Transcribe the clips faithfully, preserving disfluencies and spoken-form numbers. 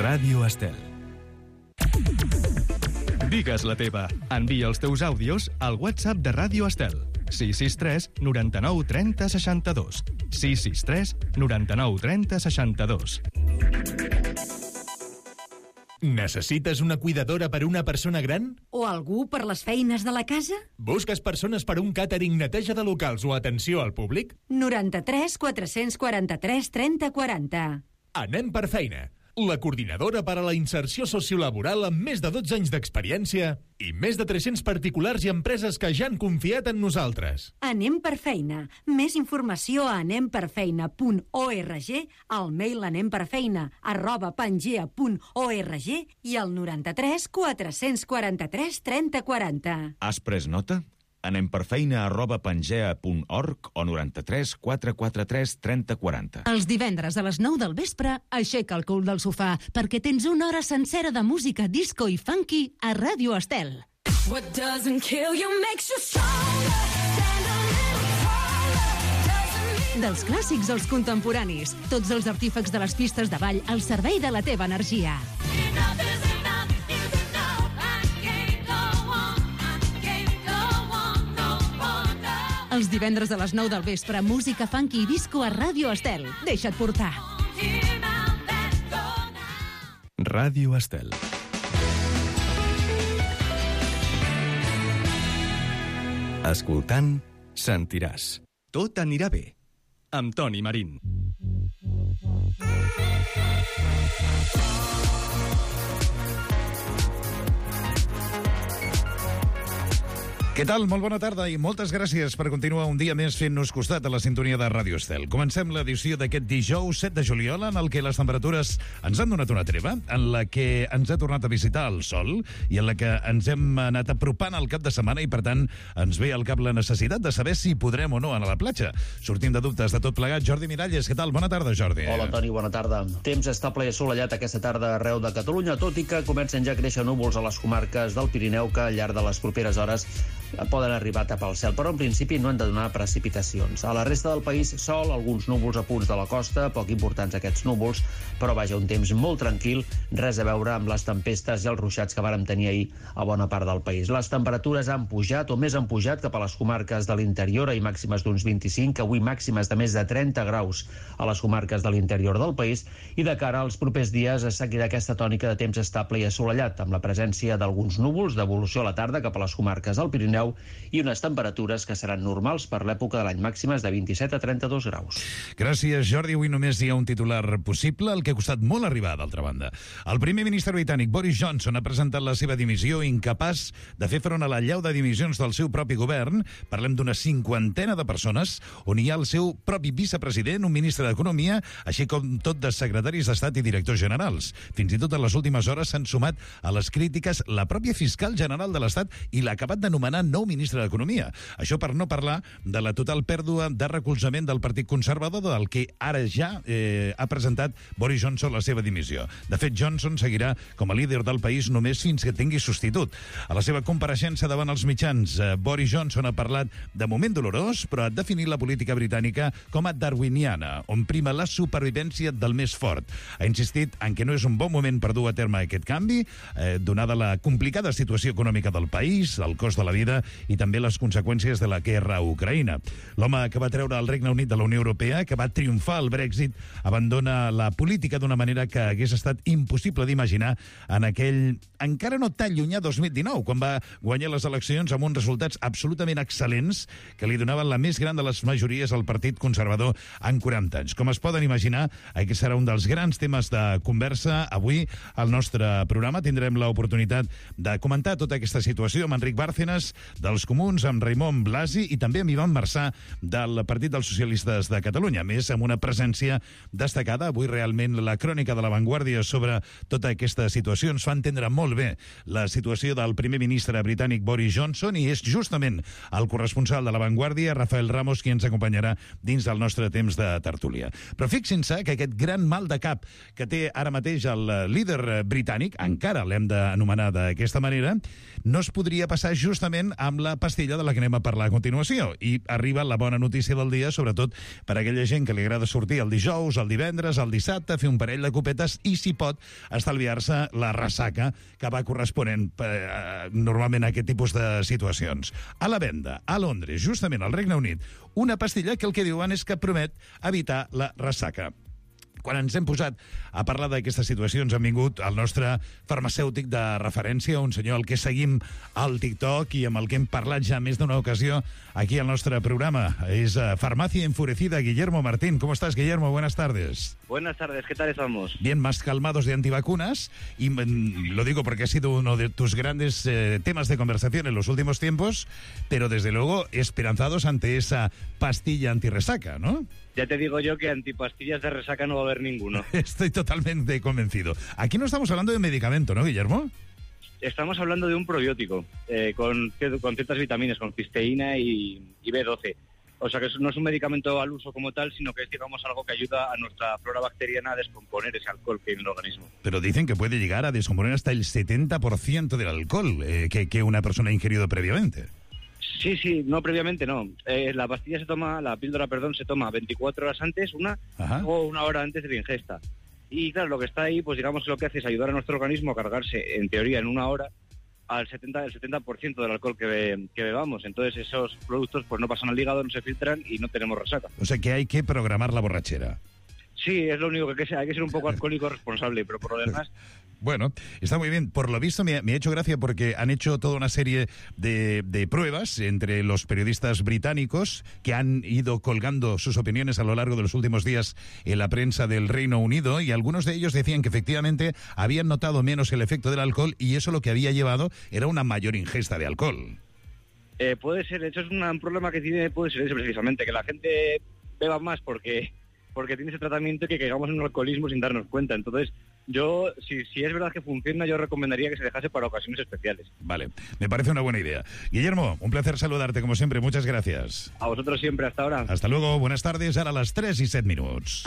Ràdio Estel. Digues la teva. Envia els teus àudios al WhatsApp de Ràdio Estel. sis sis tres noranta-nou trenta seixanta-dos. sis sis tres noranta-nou trenta seixanta-dos. Necessites una cuidadora per una persona gran? O algú per les feines de la casa? Busques persones per un càtering, neteja de locals o atenció al públic? noranta-tres quatre-cents quaranta-tres trenta quaranta. Anem per feina. La coordinadora per a la inserció sociolaboral amb més de dotze anys d'experiència i més de tres-cents particulars i empreses que ja han confiat en nosaltres. Anem per feina. Més informació a anem per feina punt org, al mail anemperfeina arroba pangea punt org i al noranta-tres quatre-cents quaranta-tres trenta quaranta. Has pres nota? Anem per feina arroba pangea punt org o noranta-tres quatre quaranta-tres trenta quaranta. Els divendres a les nou del vespre, aixeca el cul del sofà perquè tens una hora sencera de música disco i funky a Ràdio Estel. What doesn't kill you makes you stronger. Stand a little taller. Doesn't mean... Dels clàssics als contemporanis, tots els artífecs de les pistes de ball al servei de la teva energia. Enough is enough is enough. I can't go on. I can't go on no more now. Els divendres a les nou del vespre, música funky i disco a Ràdio Estel. Deixa't portar. Hear now, let's go now. Ràdio Estel. Escoltant, sentiràs. Tot anirà bé. Amb Toni Marín. Què tal? Molt bona tarda i moltes gràcies per continuar un dia més fent-nos costat a la sintonia de Ràdio Estel. Comencem l'edició d'aquest dijous set de juliol, en el que les temperatures ens han donat una treva, en la que ens ha tornat a visitar el sol i en la que ens hem anat apropant al cap de setmana i, per tant, ens ve al cap la necessitat de saber si podrem o no anar a la platja. Sortim de dubtes de tot plegat. Jordi Miralles, què tal? Bona tarda, Jordi. Hola, Toni, bona tarda. Temps estable i assolellat aquesta tarda arreu de Catalunya, tot i que comencen ja a créixer núvols a les comarques del Pirineu que al llarg de les properes hores poden arribar a tapar el cel, però en principi no han de donar precipitacions. A la resta del país, sol, alguns núvols a punts de la costa, poc importants aquests núvols, però vaja, un temps molt tranquil, res a veure amb les tempestes i els ruixats que vàrem tenir ahir a bona part del país. Les temperatures han pujat, o més han pujat, cap a les comarques de l'interior, ahir màximes d'uns vint-i-cinc, avui màximes de més de trenta graus a les comarques de l'interior del país, i de cara als propers dies es seguirà aquesta tònica de temps estable i assolellat, amb la presència d'alguns núvols d'evolució a la tarda cap a les comarques del Pirineu i unes temperatures que seran normals per l'època de l'any, màximes de vint-i-set a trenta-dos graus. Gràcies, Jordi. Avui només hi ha un titular possible, el que ha costat molt arribar, d'altra banda. El primer ministre britànic, Boris Johnson, ha presentat la seva dimissió, incapaç de fer front a la llau de dimissions del seu propi govern. Parlem d'una cinquantena de persones, on hi ha el seu propi vicepresident, un ministre d'Economia, així com tot de secretaris d'Estat i directors generals. Fins i tot en les últimes hores s'han sumat a les crítiques la pròpia fiscal general de l'Estat i l'ha acabat de nomenar nou ministre d'Economia. Això per no parlar de la total pèrdua de recolzament del Partit Conservador, del que ara ja eh, ha presentat Boris Johnson la seva dimissió. De fet, Johnson seguirà com a líder del país només fins que tingui substitut. A la seva compareixença davant els mitjans, eh, Boris Johnson ha parlat de moment dolorós, però ha definit la política britànica com a darwiniana, on prima la supervivència del més fort. Ha insistit en que no és un bon moment per dur a terme aquest canvi, eh, donada la complicada situació econòmica del país, el cost de la vida i també les conseqüències de la guerra a Ucraïna. L'home que va treure el Regne Unit de la Unió Europea, que va triomfar al Brexit, abandona la política d'una manera que hagués estat impossible d'imaginar en aquell encara no tan llunyà dos mil dinou, quan va guanyar les eleccions amb uns resultats absolutament excel·lents que li donaven la més gran de les majories al Partit Conservador en quaranta anys. Com es poden imaginar, aquest serà un dels grans temes de conversa. Avui al nostre programa tindrem l'oportunitat de comentar tota aquesta situació amb Enric Bárcenas, dels Comuns, amb Raimon Blasi i també amb Ivan Marçà del Partit dels Socialistes de Catalunya. A més, amb una presència destacada, avui realment la crònica de La Vanguardia sobre tota aquesta situació ens fa entendre molt bé la situació del primer ministre britànic Boris Johnson, i és justament el corresponsal de La Vanguardia, Rafael Ramos, qui ens acompanyarà dins del nostre temps de tertúlia. Però fixin-se que aquest gran mal de cap que té ara mateix el líder britànic, encara l'hem d'anomenar d'aquesta manera, no es podria passar justament amb la pastilla de la que anem a parlar a continuació. I arriba la bona notícia del dia, sobretot per a aquella gent que li agrada sortir el dijous, el divendres, el dissabte, fer un parell de copetes i, si pot, estalviar-se la ressaca que va corresponent eh, normalment a aquest tipus de situacions. A la venda, a Londres, justament al Regne Unit, una pastilla que el que diuen és que promet evitar la ressaca. Quan ens hem posat a parlar d'aquestes situacions han vingut el nostre farmacèutic de referència, un senyor al que seguim al TikTok i amb el que hem parlat ja més d'una ocasió aquí al nostre programa. És uh, Farmacia Enfurecida, Guillermo Martín. ¿Cómo estás, Guillermo? Buenas tardes. Buenas tardes, ¿qué tal estamos? Bien, más calmados de antivacunas, y mm, lo digo porque ha sido uno de tus grandes eh, temas de conversación en los últimos tiempos, pero desde luego esperanzados ante esa pastilla antirresaca, ¿no? Ya te digo yo que antipastillas de resaca no va a haber ninguno. Estoy totalmente convencido. Aquí no estamos hablando de medicamento, ¿no, Guillermo? Estamos hablando de un probiótico eh, con, con ciertas vitaminas, con cisteína y, y B doce. O sea que no es un medicamento al uso como tal, sino que es, digamos, algo que ayuda a nuestra flora bacteriana a descomponer ese alcohol que hay en el organismo. Pero dicen que puede llegar a descomponer hasta el setenta por ciento del alcohol eh, que, que una persona ha ingerido previamente. Sí, sí, no, previamente no. Eh, la pastilla se toma, la píldora, perdón, se toma veinticuatro horas antes, una Ajá. o una hora antes de la ingesta. Y claro, lo que está ahí, pues digamos que lo que hace es ayudar a nuestro organismo a cargarse, en teoría, en una hora, al setenta, el setenta por ciento del alcohol que, be, que bebamos. Entonces esos productos pues no pasan al hígado, no se filtran y no tenemos resaca. O sea que hay que programar la borrachera. Sí, es lo único que hay que ser un poco alcohólico responsable, pero por lo demás... Bueno, está muy bien. Por lo visto me, me ha hecho gracia porque han hecho toda una serie de, de pruebas entre los periodistas británicos que han ido colgando sus opiniones a lo largo de los últimos días en la prensa del Reino Unido, y algunos de ellos decían que efectivamente habían notado menos el efecto del alcohol y eso lo que había llevado era una mayor ingesta de alcohol. Eh, puede ser, eso es una, un problema que tiene, puede ser eso precisamente, que la gente beba más porque... porque tiene ese tratamiento y que caigamos en un alcoholismo sin darnos cuenta. Entonces, yo, si, si es verdad que funciona, yo recomendaría que se dejase para ocasiones especiales. Vale, me parece una buena idea. Guillermo, un placer saludarte como siempre, muchas gracias. A vosotros siempre, hasta ahora. Hasta luego, buenas tardes, ara les tres i set minuts.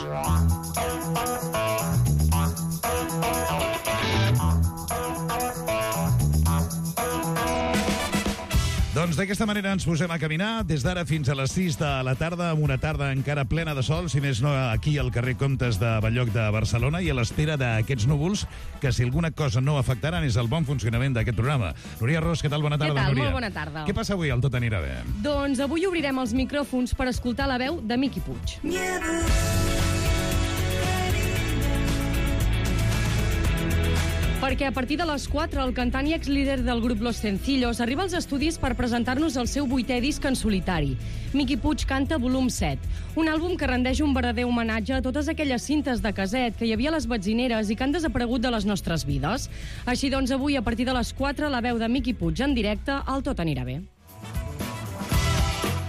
Doncs d'aquesta manera ens posem a caminar des d'ara fins a les sis de la tarda, amb una tarda encara plena de sol, si més no aquí al carrer Comtes de Balloc de Barcelona, i a l'espera d'aquests núvols que, si alguna cosa no afectaran, és el bon funcionament d'aquest programa. Núria Ros, què tal? Bona tarda, Què tal? Núria. Molt bona tarda. Què passa avui al Tot anirà bé? Doncs avui obrirem els micròfons per escoltar la veu de Miqui Puig. Perquè a partir de les quatre el cantant i exlíder del grup Los Sencillos arriba als estudis per presentar-nos el seu vuitè disc en solitari. Miqui Puig canta volum set, un àlbum que rendeix un verdader homenatge a totes aquelles cintes de caset que hi havia a les betzineres i que han desaparegut de les nostres vides. Així doncs, avui, a partir de les quatre, la veu de Miqui Puig en directe al Tot anirà bé.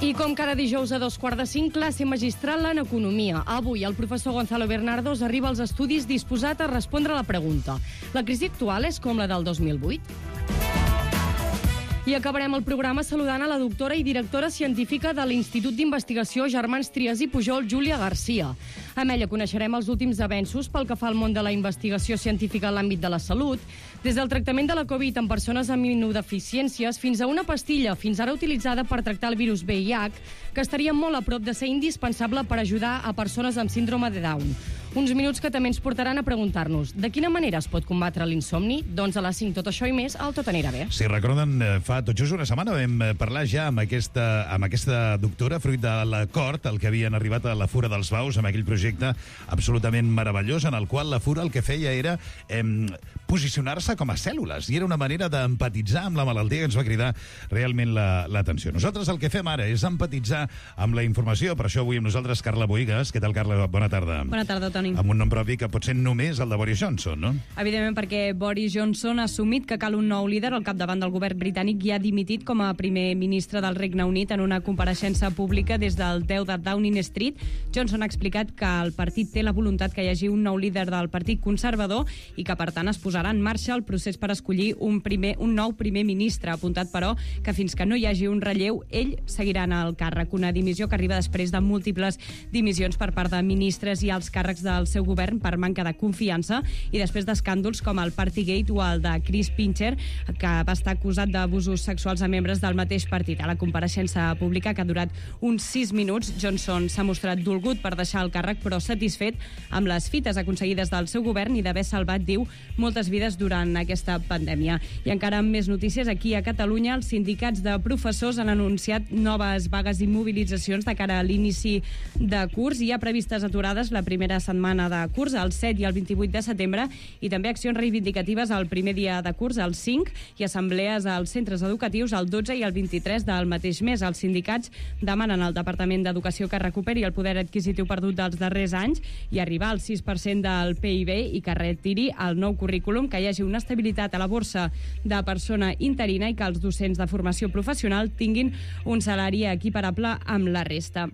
I com cada dijous a dos quarts de cinc, classe magistral en economia. Avui el professor Gonzalo Bernardos arriba als estudis disposat a respondre a la pregunta: la crisi actual és com la del dos mil vuit? I acabarem el programa saludant a la doctora i directora científica de l'Institut d'Investigació Germans Trias i Pujol, Júlia Garcia. Amb ella coneixerem els últims avenços pel que fa al món de la investigació científica en l'àmbit de la salut, des del tractament de la Covid en persones amb immunodeficiències fins a una pastilla fins ara utilitzada per tractar el virus V I H, que estaria molt a prop de ser indispensable per ajudar a persones amb síndrome de Down. Uns minuts que també ens portaran a preguntar-nos de quina manera es pot combatre l'insomni? Doncs a les cinc tot això i més al Tot anirà bé. Si recorden, fa tot just una setmana vam parlar ja amb aquesta, amb aquesta doctora, fruit de l'acord al que havien arribat a la Fura dels Baus, amb aquell projecte absolutament meravellós en el qual la Fura el que feia era eh, posicionar-se com a cèl·lules, i era una manera d'empatitzar amb la malaltia que ens va cridar realment l'atenció. La, Nosaltres el que fem ara és empatitzar amb la informació, per això avui amb nosaltres Carla Boïgues. Què tal, Carla? Bona tarda. Bona tarda, Toni. Amb un nom propi que pot ser només el de Boris Johnson, no? Evidentment, perquè Boris Johnson ha assumit que cal un nou líder al capdavant del govern britànic i ha dimitit com a primer ministre del Regne Unit en una compareixença pública des del deu de Downing Street. Johnson ha explicat que el partit té la voluntat que hi hagi un nou líder del Partit Conservador i que, per tant, es posarà en marxa el procés per escollir un, primer, un nou primer ministre. Ha apuntat, però, que fins que no hi hagi un relleu, ell seguirà en el càrrec. Una dimissió que arriba després de múltiples dimissions per part de ministres i alts càrrecs de del seu govern per manca de confiança i després d'escàndols com el Partygate o el de Chris Pincher, que va estar acusat d'abusos sexuals a membres del mateix partit. A la compareixença pública, que ha durat uns sis minuts, Johnson s'ha mostrat dolgut per deixar el càrrec, però satisfet amb les fites aconseguides del seu govern i d'haver salvat, diu, moltes vides durant aquesta pandèmia. I encara amb més notícies, aquí a Catalunya, els sindicats de professors han anunciat noves vagues i mobilitzacions de cara a l'inici de curs. Hi ha previstes aturades la primera setmana de curs, el set i el vint-i-vuit de setembre, i també accions reivindicatives el primer dia de curs, el cinc, i assemblees als centres educatius el dotze i el vint-i-tres del mateix mes. Els sindicats demanen al Departament d'Educació que recuperi el poder adquisitiu perdut dels darrers anys i arribar al sis per cent del P I B i que retiri el nou currículum, que hi hagi una estabilitat a la borsa de persona interina i que els docents de formació professional tinguin un salari equiparable amb la resta.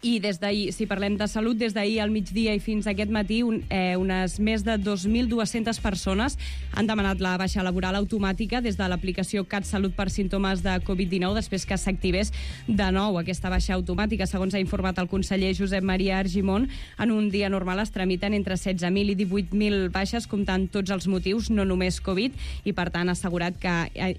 I des d'ahir, si parlem de salut, des d'ahir al migdia i fins aquest matí, un, eh, unes més de dos mil dues-centes persones han demanat la baixa laboral automàtica des de l'aplicació CatSalut per símptomes de covid dinou, després que s'activés de nou aquesta baixa automàtica. Segons ha informat el conseller Josep Maria Argimon, en un dia normal es tramiten entre setze mil i divuit mil baixes, comptant tots els motius, no només Covid, i per tant ha assegurat que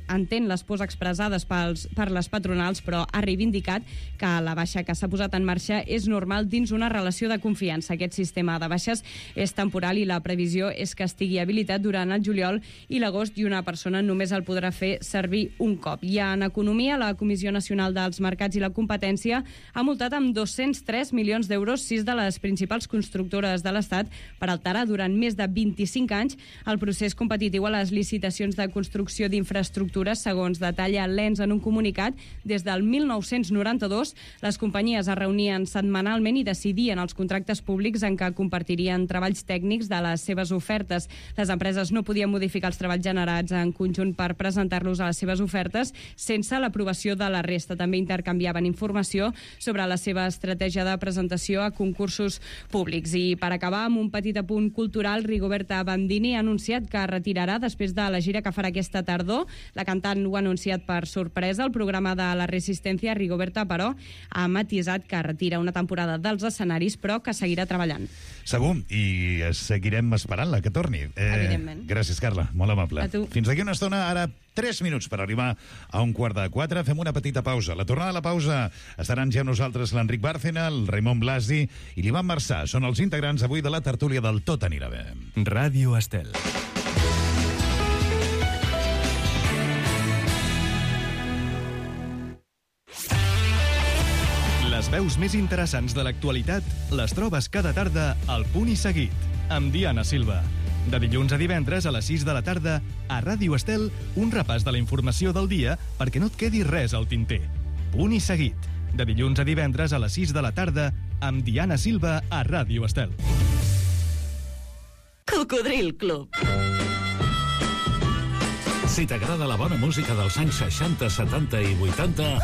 entén les pors expressades pels, per les patronals, però ha reivindicat que la baixa que s'ha posat en marxa és normal dins una relació de confiança. Aquest sistema de baixes és temporal i la previsió és que estigui habilitat durant el juliol i l'agost i una persona només el podrà fer servir un cop. I en economia, la Comissió Nacional dels Mercats i la Competència ha multat amb dos-cents tres milions d'euros sis de les principals constructores de l'Estat per alterar durant més de vint-i-cinc anys el procés competitiu a les licitacions de construcció d'infraestructures, segons detalla l'E N S en un comunicat. Des del mil nou-cents noranta-dos, les companyies es reunien setmanalment i decidien els contractes públics en què compartirien treballs tècnics de les seves ofertes. Les empreses no podien modificar els treballs generats en conjunt per presentar-los a les seves ofertes sense l'aprovació de la resta. També intercanviaven informació sobre la seva estratègia de presentació a concursos públics. I per acabar, amb un petit apunt cultural, Rigoberta Bandini ha anunciat que retirarà després de la gira que farà aquesta tardor. La cantant ho ha anunciat per sorpresa. El programa de la Resistència, Rigoberta, però, ha matisat que retira una temporada dels escenaris, però que seguirà treballant. Segur, i seguirem esperant-la, que torni. Eh, Evidentment. Gràcies, Carla, molt amable. A tu. Fins d'aquí una estona, ara tres minuts per arribar a un quart de quatre. Fem una petita pausa. A la tornada de la pausa estaran ja nosaltres l'Enric Bárcena, el Raimon Blasi i l'Ivan Marçà. Són els integrants avui de la tertúlia del Tot anirà bé. Ràdio Estel. Les veus més interessants de l'actualitat les trobes cada tarda al Punt i Seguit, amb Diana Silva. De dilluns a divendres a les sis de la tarda, a Ràdio Estel, un repàs de la informació del dia perquè no et quedi res al tinter. Punt i Seguit. De dilluns a divendres a les sis de la tarda, amb Diana Silva a Ràdio Estel. Cocodril Club. Si t'agrada la bona música dels anys seixanta, setanta i vuitanta...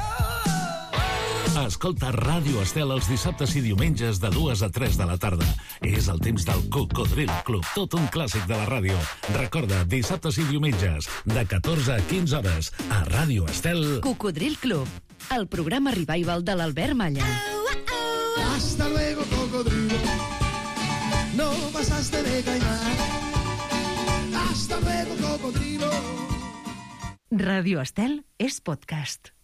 Escolta Ràdio Estel els dissabtes i diumenges de dues a tres de la tarda. És el temps del Cocodril Club, tot un clàssic de la ràdio. Recorda, dissabtes i diumenges, de catorze a quinze hores, a Ràdio Estel. Cocodril Club, el programa revival de l'Albert Malla. Hasta luego, cocodrilo. No pasaste de caimán. Hasta luego, cocodrilo. Ràdio Estel és podcast.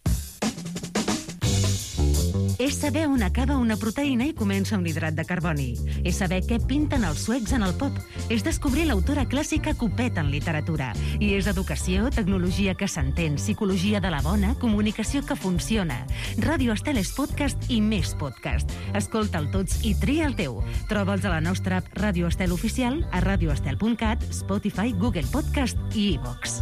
És saber on acaba una proteïna i comença un hidrat de carboni. És saber què pinten els suecs en el pop. És descobrir l'autora clàssica Copet en literatura. I és educació, tecnologia que s'entén, psicologia de la bona, comunicació que funciona. Ràdio Estel és podcast i més podcast. Escolta'l tots i tria el teu. Troba'ls a la nostra app Ràdio Estel oficial, a radioestel punt cat, Spotify, Google Podcast i iVox.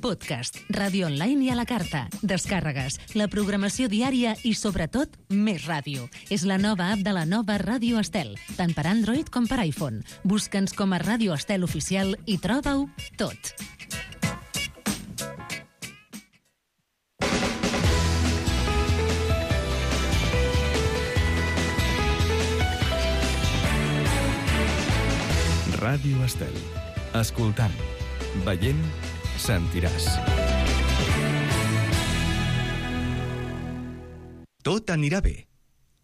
Podcast, ràdio online i a la carta, descàrregues, la programació diària i, sobretot, més ràdio. És la nova app de la nova Ràdio Estel, tant per Android com per iPhone. Busca'ns com a Ràdio Estel Oficial i troba-ho tot. Ràdio Estel. Escoltant, veient, sentiràs. Tot anirà bé.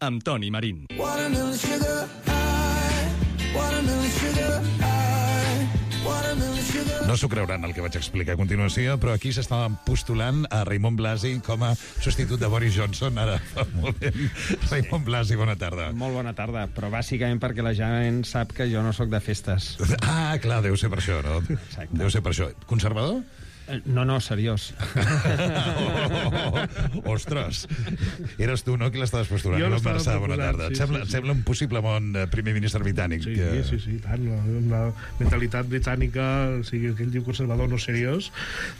Amb Toni Marín. Watermelon sugar high, watermelon sugar high, watermelon sugar. No s'ho creuran el que vaig explicar a continuació, però aquí s'estava postulant a Raimon Blasi com a substitut de Boris Johnson. Ara fa un moment. Raimon Blasi, bona tarda. Molt bona tarda, però bàsicament perquè la gent sap que jo no sóc de festes. Ah, clar, deu ser per això, no? Exacte. Deu ser per això. Conservador? No, no, seriós. Oh, ostres, eres tu, no, qui l'estaves postulant? Jo l'estava Marçà, bona proposant, tarda. sí, Et sembla, sí, et sí. sembla un possible bon eh, primer ministre britànic? Sí, que... sí, sí, tant. La, la mentalitat britànica, o sigui, que ell diu conservador no seriós,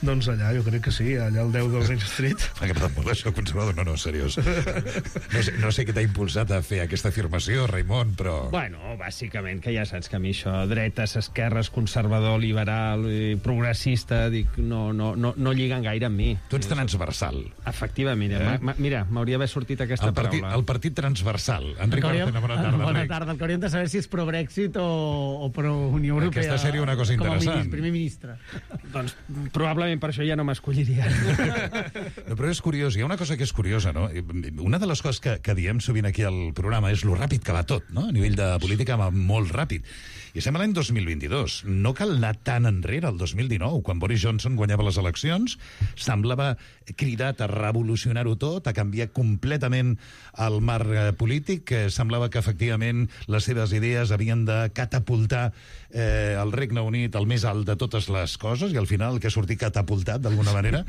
doncs allà jo crec que sí, allà al deu del Downing Street. M'ha agradat molt això, conservador, no, no, seriós. No sé, no sé què t'ha impulsat a fer aquesta afirmació, Raimon, però... Bueno, bàsicament, que ja saps que a mi això, dretes, esquerres, conservador, liberal, eh, progressista, dic, no, no, no, no lliguen gaire amb mi. Tu ets transversal. Efectivament, mira, Eh? ma, mira m'hauria d'haver sortit aquesta El partit, paraula. el partit transversal. Enric hauríem- Martínez, bona tarda. Bona Enric. tarda. El que hauríem de saber si és pro-Brexit o, o pro-Unió Europea. Aquesta seria una cosa com a interessant. ministre, primer ministre. Doncs probablement per això ja no m'escolliria. No, però és curiós, hi ha una cosa que és curiosa, no? Una de les coses que, que diem sovint aquí al programa és lo ràpid que va tot, no? A nivell de política va molt ràpid. I estem a l'any dos mil vint-i-dos. No cal anar tan enrere, el dos mil dinou, quan Boris Johnson guanyava les eleccions, semblava cridat a revolucionar-ho tot, a canviar completament el marc eh, polític, que semblava que efectivament les seves idees havien de catapultar eh, el Regne Unit al més alt de totes les coses, i al final el que ha sortit catapultat, d'alguna manera,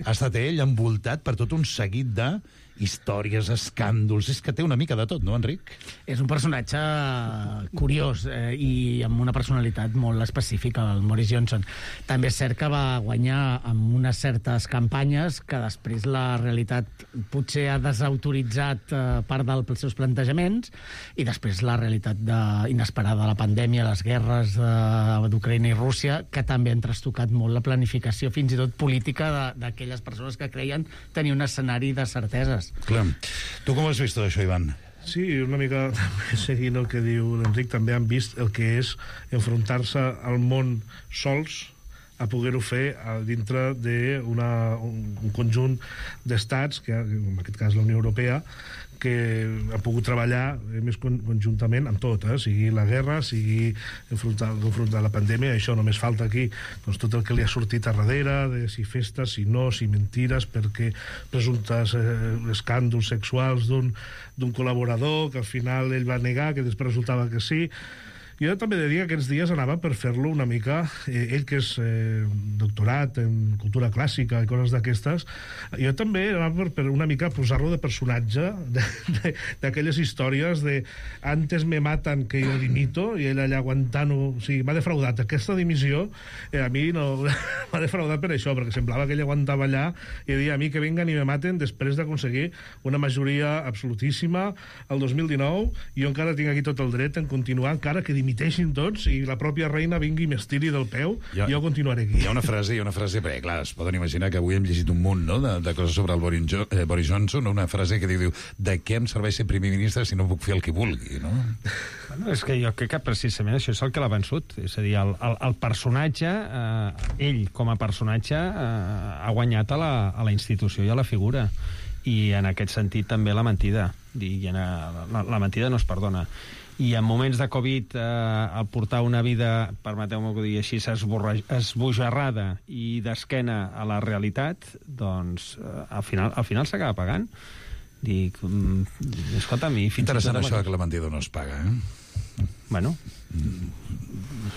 ha estat ell envoltat per tot un seguit de històries, escàndols... És que té una mica de tot, no, Enric? És un personatge curiós eh, i amb una personalitat molt específica, el Boris Johnson. També és cert que va guanyar amb unes certes campanyes que després la realitat potser ha desautoritzat eh, part dels seus plantejaments, i després la realitat de, inesperada, la pandèmia, les guerres eh, d'Ucraïna i Rússia, que també han trastocat molt la planificació, fins i tot política, de- d'aquelles persones que creien tenir un escenari de certeses. Clar. Tu com has vist tot això, Ivan? Sí, una mica seguint el que diu l'Enric, també han vist el que és enfrontar-se al món sols, a poder-ho fer a dintre d'un un conjunt d'estats, que en aquest cas la Unió Europea, que ha pogut treballar eh, més con conjuntament amb tot, eh? Sigui la guerra, sigui enfrontar, enfrontar la pandèmia. Això només falta aquí doncs, tot el que li ha sortit a darrere, de si festes, si no, si mentires, perquè presumptes eh, escàndols sexuals d'un d'un col·laborador que al final ell va negar, que després resultava que sí. Jo també he de dir que aquests dies anava per fer-lo una mica, eh, ell que és eh, doctorat en cultura clàssica i coses d'aquestes, jo també anava per, per una mica posar-lo de personatge d'aquelles històries de antes me matan que jo dimito, i ell allà aguantant-ho, o sigui, m'ha defraudat aquesta dimissió, eh, a mi no m'ha defraudat per això, perquè semblava que ell aguantava allà i deia a mi que vengan i me maten després d'aconseguir una majoria absolutíssima el dos mil dinou, i jo encara tinc aquí tot el dret en continuar, encara que dimiteixin tots i la pròpia reina vingui i m'estiri del peu, Ja- jo continuaré aquí. Hi ha una frase, hi ha una frase, perquè clar, es poden imaginar que avui hem llegit un munt, no?, de, de coses sobre el Boris, jo, eh, Boris Johnson, una frase que diu, diu, de què em serveix ser primer ministre si no puc fer el que vulgui, no? Bueno, és que jo crec que precisament això és el que l'ha vençut. És a dir, el, el, el personatge, eh, ell com a personatge, eh, ha guanyat a la, a la institució i a la figura. I en aquest sentit també la mentida. I en, la, la mentida no es perdona. I en moments de Covid, eh, al portar una vida, permeteu-me que ho digui així, esborra- esbojarrada i d'esquena a la realitat, doncs eh, al final, al final s'acaba pagant. Dic, mm, escolta'm, i fins Interessant i tot això que la mentida no es paga, eh? Bueno.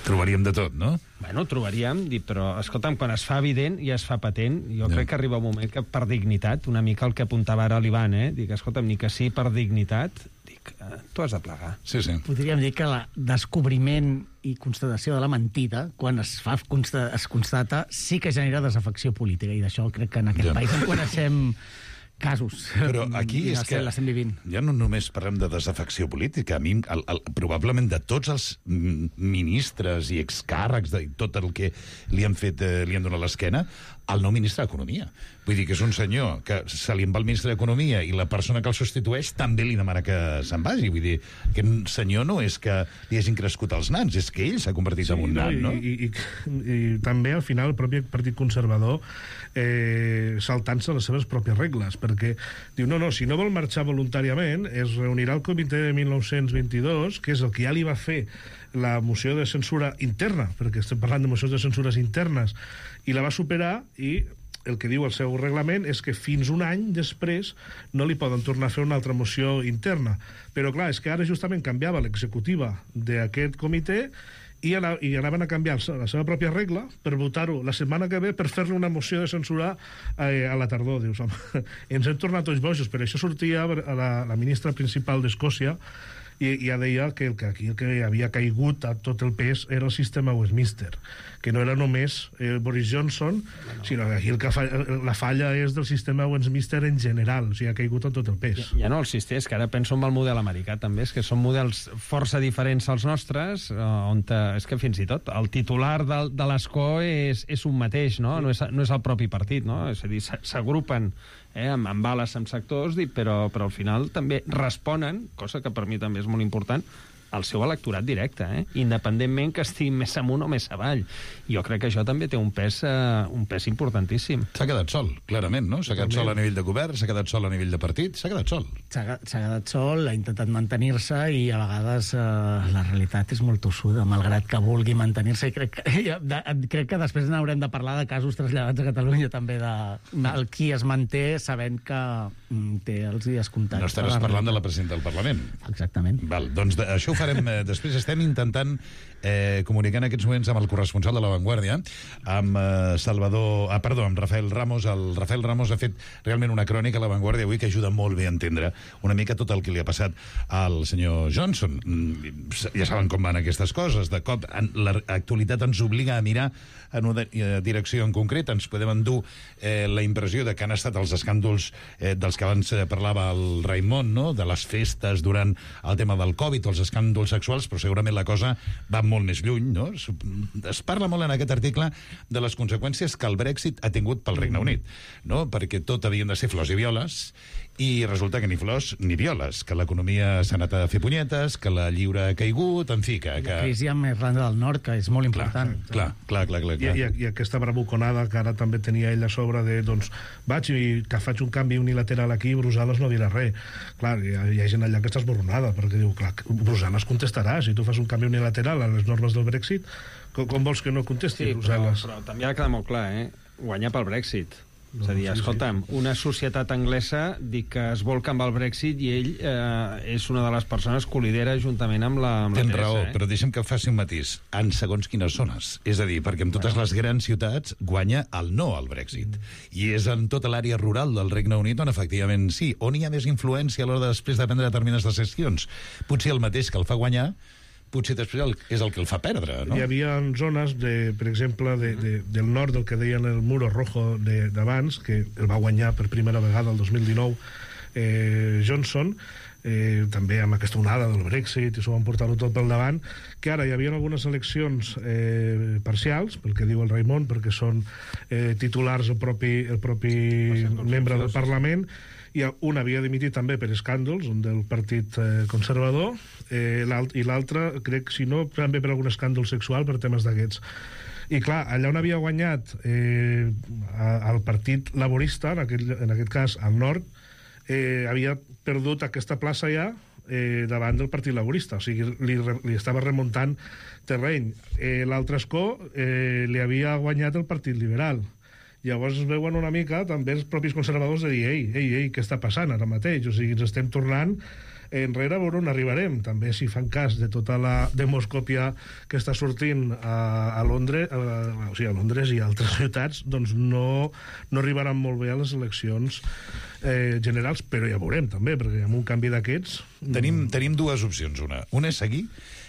Trobaríem de tot, no? Bueno, trobaríem, dic, però, escolta'm, quan es fa evident i es fa patent, jo Ja. crec que arriba un moment que per dignitat, una mica el que apuntava ara l'Ivan, eh? Dic, escolta'm, ni que sí per dignitat, dic, eh, tu has de plegar. Sí, sí. Podríem dir que el descobriment i constatació de la mentida, quan es fa consta, es constata, sí que genera desafecció política, i d'això crec que en aquest Ja. país en coneixem casos. Però aquí I és l'estem- que l'estem vivint. ja no només parlem de desafecció política, a mi, el, el, probablement de tots els mm, ministres i excàrrecs de tot el que li han fet, eh, li han donat l'esquena, el nou ministre d'Economia. Vull dir que és un senyor que se li en va el ministre d'Economia i la persona que el substitueix també li demana que se'n vagi. Vull dir, que un senyor no és que li hagin crescut els nans, és que ell s'ha convertit sí, en un nan, no? I, i, i, i també, al final, el propi Partit Conservador eh, saltant-se les seves pròpies regles, perquè diu, no, no, si no vol marxar voluntàriament, es reunirà el comitè de mil nou-cents vint-i-dos, que és el que ja li va fer la moció de censura interna, perquè estem parlant de mocions de censures internes, i la va superar, i el que diu el seu reglament és que fins un any després no li poden tornar a fer una altra moció interna. Però clar, és que ara justament canviava l'executiva d'aquest comitè i, ana, i anaven a canviar la seva pròpia regla per votar-ho la setmana que ve per fer-li una moció de censura eh, a la tardor. Dius, home, ens hem tornat tots bojos, però això sortia a la, la ministra principal d'Escòcia i ja deia que el que aquí el que havia caigut a tot el pes era el sistema Westminster, que no era només eh, Boris Johnson, no. sinó que aquí el que fa, la falla és del sistema Westminster en general, o sigui, ha caigut a tot el pes. Ja, ja no el sistema, és que ara penso en el model americà també, és que són models força diferents als nostres, on és que fins i tot el titular de, de l'escó és, és un mateix, no? No és, no és el propi partit, no? És a dir, s'agrupen eh, amb, amb ales, amb sectors, però, però al final també responen, cosa que per mi també és molt important, al seu electorat directe, eh? Independentment que estigui més amunt o més avall. Jo crec que això també té un pes, uh, un pes importantíssim. S'ha quedat sol, clarament, no? S'ha quedat sol a nivell de govern, s'ha quedat sol a nivell de partit, s'ha quedat sol. S'ha quedat sol, ha intentat mantenir-se i a vegades uh, la realitat és molt tossuda, malgrat que vulgui mantenir-se. I crec que, de, crec que després n'haurem de parlar de casos traslladats a Catalunya també, de el qui es manté sabent que mm, té els dies comptats. No estaràs parlant de la presidenta del Parlament. Exactament. Val, doncs de, això ho farem eh, després. Estem intentant eh, comunicar en aquests moments amb el corresponsal de La Vanguardia, amb eh, Salvador... Ah, perdó, amb Rafael Ramos. El Rafael Ramos ha fet realment una crònica a La Vanguardia avui que ajuda molt bé a entendre una mica tot el que li ha passat al senyor Johnson. Ja saben com van aquestes coses. De cop, l'actualitat ens obliga a mirar en una direcció en concret. Ens podem endur eh, la impressió de que han estat els escàndols eh, dels que abans parlava el Raimon, no? De les festes durant el tema del Covid o els escàndols sexuals, però segurament la cosa va molt més lluny, no? Es parla molt en aquest article de les conseqüències que el Brexit ha tingut pel Regne Unit, no? Perquè tot havien de ser flors i violes, i resulta que ni flors ni violes, que l'economia s'ha anat a fer punyetes, que la lliure ha caigut, en fi, que... que... La crisi amb Irlanda del Nord, que és molt important. Clar, clar, clar, clar, clar. I, i, I aquesta bravuconada que ara també tenia ell a sobre de, doncs, vaig i que faig un canvi unilateral aquí i Brussel·les no dirà res. Clar, hi ha, hi ha gent allà que està esborronada, perquè diu, clar, Brussel·les contestarà, si tu fas un canvi unilateral a les normes del Brexit, com, com vols que no contesti sí, Brussel·les? Però, però també ha de quedar molt clar, eh? Guanyar pel Brexit. No, és a dir, sí, escolta'm, sí. Una societat anglesa dic que es volca amb el Brexit i ell eh, és una de les persones que ho lidera juntament amb la, amb la Tens Teresa. raó, eh? però deixa'm que faci un matís. En segons quines zones. És a dir, perquè en totes les grans ciutats guanya el no al Brexit. I és en tota l'àrea rural del Regne Unit on efectivament sí, on hi ha més influència a l'hora de després de prendre determinades decisions. Potser el mateix que el fa guanyar, potser després el, és el que el fa perdre, no? Hi havia zones, de, per exemple, de, de, del nord del que deien el Muro Rojo d'abans, que el va guanyar per primera vegada el dos mil dinou eh, Johnson, eh, també amb aquesta onada del Brexit, i s'ho van portar-ho tot pel davant, que ara hi havia algunes eleccions eh, parcials, pel que diu el Raimon, perquè són eh, titulars el propi, el propi membre del Parlament, i un havia dimitit també per escàndols, un del Partit eh, Conservador, eh, i l'altre, crec, si no, també per algun escàndol sexual, per temes d'aquests. I clar, allà on havia guanyat eh, el Partit Laborista, en aquest, en aquest cas al nord, eh, havia perdut aquesta plaça ja eh, davant del Partit Laborista, o sigui, li, li estava remuntant terreny. Eh, L'altre escó eh, li havia guanyat el Partit Liberal. Llavors es veuen una mica també els propis conservadors de dir, ei, ei, ei, què està passant ara mateix? O sigui, ens estem tornant enrere a veure on arribarem. També si fan cas de tota la demoscòpia que està sortint a, a Londres, a, o sigui, a Londres i a altres ciutats, doncs no, no arribaran molt bé a les eleccions eh, generals, però ja veurem també, perquè amb un canvi d'aquests... Tenim, tenim dues opcions. Una, una és seguir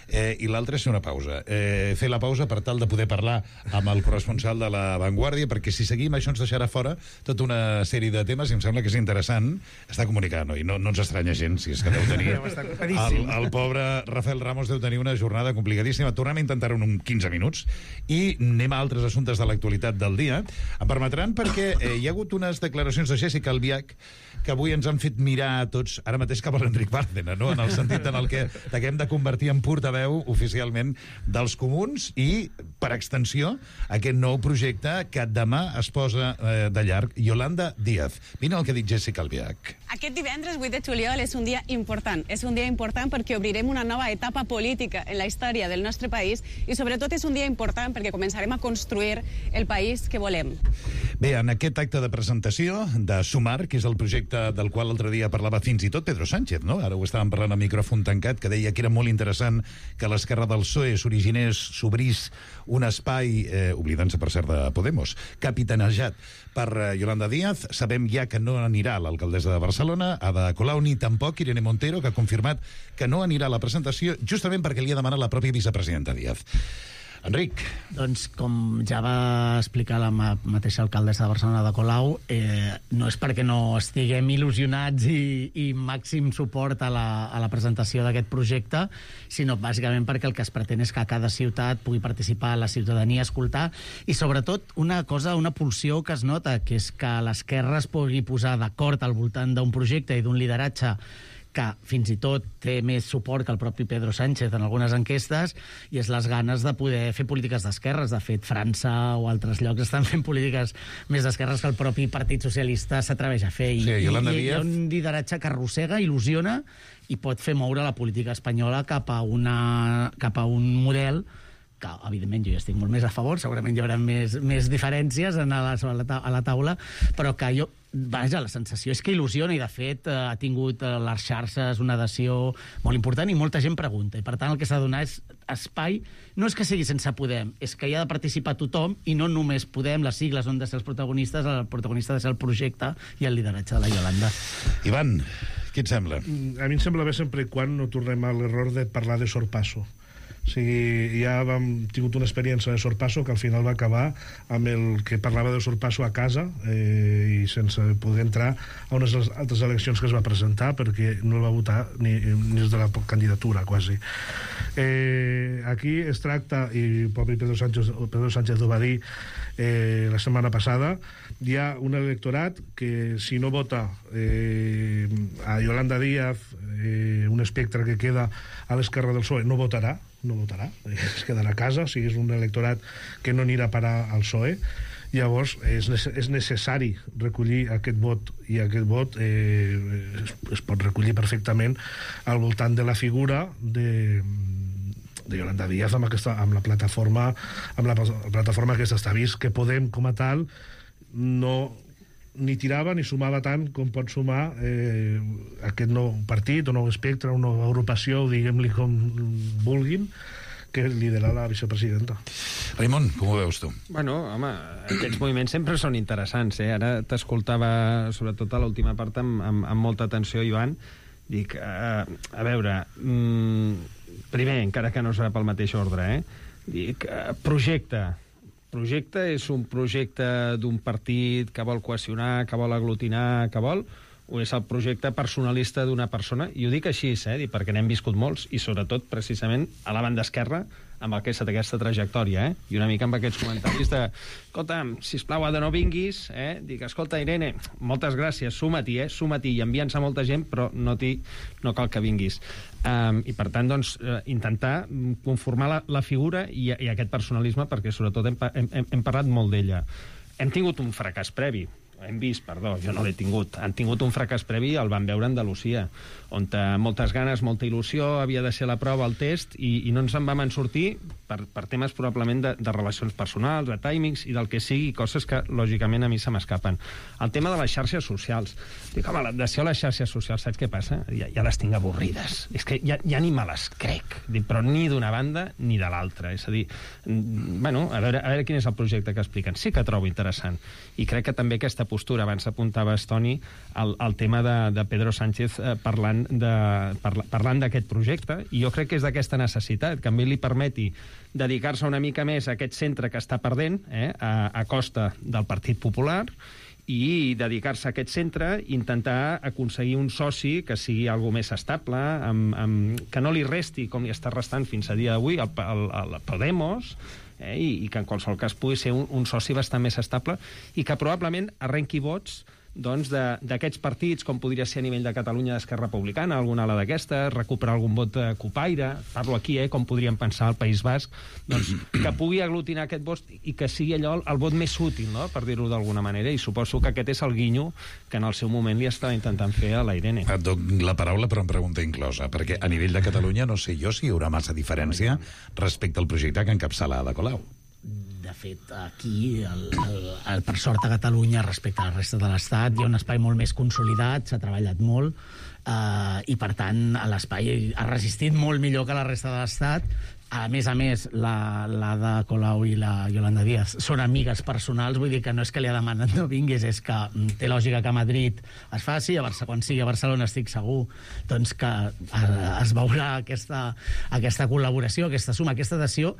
eh, i l'altre és fer una pausa. Eh, fer la pausa per tal de poder parlar amb el corresponsal de La Vanguardia, perquè si seguim això ens deixarà fora tota una sèrie de temes i em sembla que és interessant. Està comunicant, no? I no, no ens estranya gens, si és que deu tenir... el, el pobre Rafael Ramos deu tenir una jornada complicadíssima. Tornem a intentar-ho en quinze minuts i anem a altres assumptes de l'actualitat del dia. Em permetran perquè eh, hi ha hagut unes declaracions de Jessica Albiach que avui ens han fet mirar a tots, ara mateix cap a l'Enric Bárcena, no? En el sentit en el que t'haguem de convertir en portaveu oficialment dels comuns i, per extensió, aquest nou projecte que demà es posa eh, de llarg. Yolanda Díaz. Vine el que ha dit Jessica Albiach. Aquest divendres, vuit de juliol, és un dia important. És un dia important perquè obrirem una nova etapa política en la història del nostre país i, sobretot, és un dia important perquè començarem a construir el país que volem. Bé, en aquest acte de presentació de Sumar, que és el projecte del qual l'altre dia parlava fins i tot Pedro Sánchez, no? Ara ho estàvem parlant a micròfon tancat, que deia que era molt interessant que l'esquerra del P S O E s'originés, s'obrís un espai, eh, oblidant-se per cert de Podemos, capitanejat per eh, Yolanda Díaz. Sabem ja que no anirà l'alcaldessa de Barcelona, Ada Colau, ni tampoc Irene Montero, que ha confirmat que no anirà a la presentació, justament perquè li ha demanat la pròpia vicepresidenta Díaz. Enric. Doncs, com ja va explicar la ma mateixa alcaldessa de Barcelona, de Colau, eh, no és perquè no estiguem il·lusionats i, i màxim suport a la, a la presentació d'aquest projecte, sinó bàsicament perquè el que es pretén és que a cada ciutat pugui participar la ciutadania, escoltar, i sobretot una cosa, una pulsió que es nota, que és que l'esquerra es pugui posar d'acord al voltant d'un projecte i d'un lideratge que fins i tot té més suport que el propi Pedro Sánchez en algunes enquestes, i és les ganes de poder fer polítiques d'esquerres. De fet, França o altres llocs estan fent polítiques més d'esquerres que el propi Partit Socialista s'atreveix a fer. I, sí, i, Yolanda i hi ha Díaz. un lideratge que arrossega, il·lusiona i pot fer moure la política espanyola cap a, una, cap a un model que, evidentment, jo ja estic molt més a favor, segurament hi haurà més, més diferències en la, a, la, a la taula, però que jo, vaja, la sensació és que il·lusiona i, de fet, ha tingut a les xarxes una adhesió molt important i molta gent pregunta. I, per tant, el que s'ha de donar és espai. No és que sigui sense Podem, és que hi ha de participar tothom i no només Podem, les sigles on de ser els protagonistes, el protagonista ha de ser el projecte i el lideratge de la Yolanda. Ivan, què et sembla? A mi em sembla bé sempre i quan no tornem a l'error de parlar de sorpasso. O sigui, ja vam tingut una experiència de sorpasso que al final va acabar amb el que parlava de sorpasso a casa eh, i sense poder entrar a unes altres eleccions que es va presentar perquè no el va votar ni, ni des de la candidatura, quasi. Eh, aquí es tracta, i el propi Pedro Sánchez, Pedro Sánchez ho va dir eh, la setmana passada, hi ha un electorat que si no vota eh, a Yolanda Díaz, eh, un espectre que queda a l'esquerra del P S O E, no votarà, no votarà, es quedarà a casa, o sigui, és un electorat que no anirà a parar al P S O E. Llavors és, és necessari recollir aquest vot, i aquest vot eh, es, es pot recollir perfectament al voltant de la figura de de Yolanda Díaz amb, aquesta, amb la plataforma amb la plataforma aquesta. Està vist que Podem com a tal no ni tirava ni sumava tant com pot sumar eh, aquest nou partit o nou espectre, una nova agrupació, diguem-li com vulguin, que lidera la vicepresidenta. Raimon, com ho veus tu? Bueno, home, aquests moviments sempre són interessants, eh? Ara t'escoltava, sobretot a l'última part, amb, amb, amb molta atenció, Ivan. Dic, uh, a veure, mm, primer, encara que no serà pel mateix ordre, eh? Dic, uh, projecte. Projecte és un projecte d'un partit que vol cohesionar, que vol aglutinar, que vol... o és el projecte personalista d'una persona, i ho dic així, eh, perquè n'hem viscut molts, i sobretot, precisament, a la banda esquerra, amb el que ha estat aquesta trajectòria, eh? I una mica amb aquests comentaris de escolta'm, sisplau, Ada, no vinguis, eh? Dic, escolta, Irene, moltes gràcies, suma-t'hi, eh? Suma-t'hi, i envia'ns a molta gent, però no, no cal que vinguis. Um, I, per tant, doncs, uh, intentar conformar la, la figura i, i aquest personalisme, perquè, sobretot, hem, hem, hem parlat molt d'ella. Hem tingut un fracàs previ, hem vist, perdó, jo no l'he tingut, han tingut un fracàs previ, el van veure a Andalusia, on moltes ganes, molta il·lusió, havia de ser la prova, el test, i, i no ens en vam en sortir per, per temes probablement de, de relacions personals, de timings i del que sigui, coses que, lògicament, a mi se m'escapen. El tema de les xarxes socials. Dic, home, l'adhesió a les xarxes socials, saps què passa? Ja, ja les tinc avorrides. És que ja, ja ni me les crec, dic, però ni d'una banda ni de l'altra. És a dir, bueno, a veure, a veure quin és el projecte que expliquen. Sí que trobo interessant. I crec que també aquesta postura. Abans apuntaves, Toni, el, el tema de, de Pedro Sánchez eh, parlant de, parla, parlant d'aquest projecte, i jo crec que és d'aquesta necessitat, que a mi li permeti dedicar-se una mica més a aquest centre que està perdent, eh, a, a costa del Partit Popular, i dedicar-se a aquest centre, intentar aconseguir un soci que sigui algo més estable, amb, amb, que no li resti, com li està restant fins a dia d'avui, el, el, el Podemos, eh, i, i que en qualsevol cas pugui ser un, un soci bastant més estable, i que probablement arrenqui vots doncs, d'aquests partits, com podria ser a nivell de Catalunya d'Esquerra Republicana, alguna ala d'aquestes, recuperar algun vot de Cupaire, parlo aquí, eh, com podríem pensar al País Basc, doncs, que pugui aglutinar aquest vot i que sigui allò el vot més útil, no?, per dir-ho d'alguna manera, i suposo que aquest és el guinyo que en el seu moment li estava intentant fer a la Irene. Et dono la paraula però amb pregunta inclosa, perquè a nivell de Catalunya no sé jo si hi haurà massa diferència respecte al projecte que encapçala Ada Colau. De fet, aquí, el, el, el, per sort a Catalunya, respecte a la resta de l'Estat, hi ha un espai molt més consolidat, s'ha treballat molt, eh, i, per tant, l'espai ha resistit molt millor que la resta de l'Estat. A més a més, la, la de Colau i la Yolanda Díaz són amigues personals, vull dir que no és que li ha demanat no vinguis, és que té lògica que a Madrid es faci, a Barcelona, quan sigui a Barcelona estic segur doncs que es veurà aquesta, aquesta col·laboració, aquesta suma, aquesta adhesió,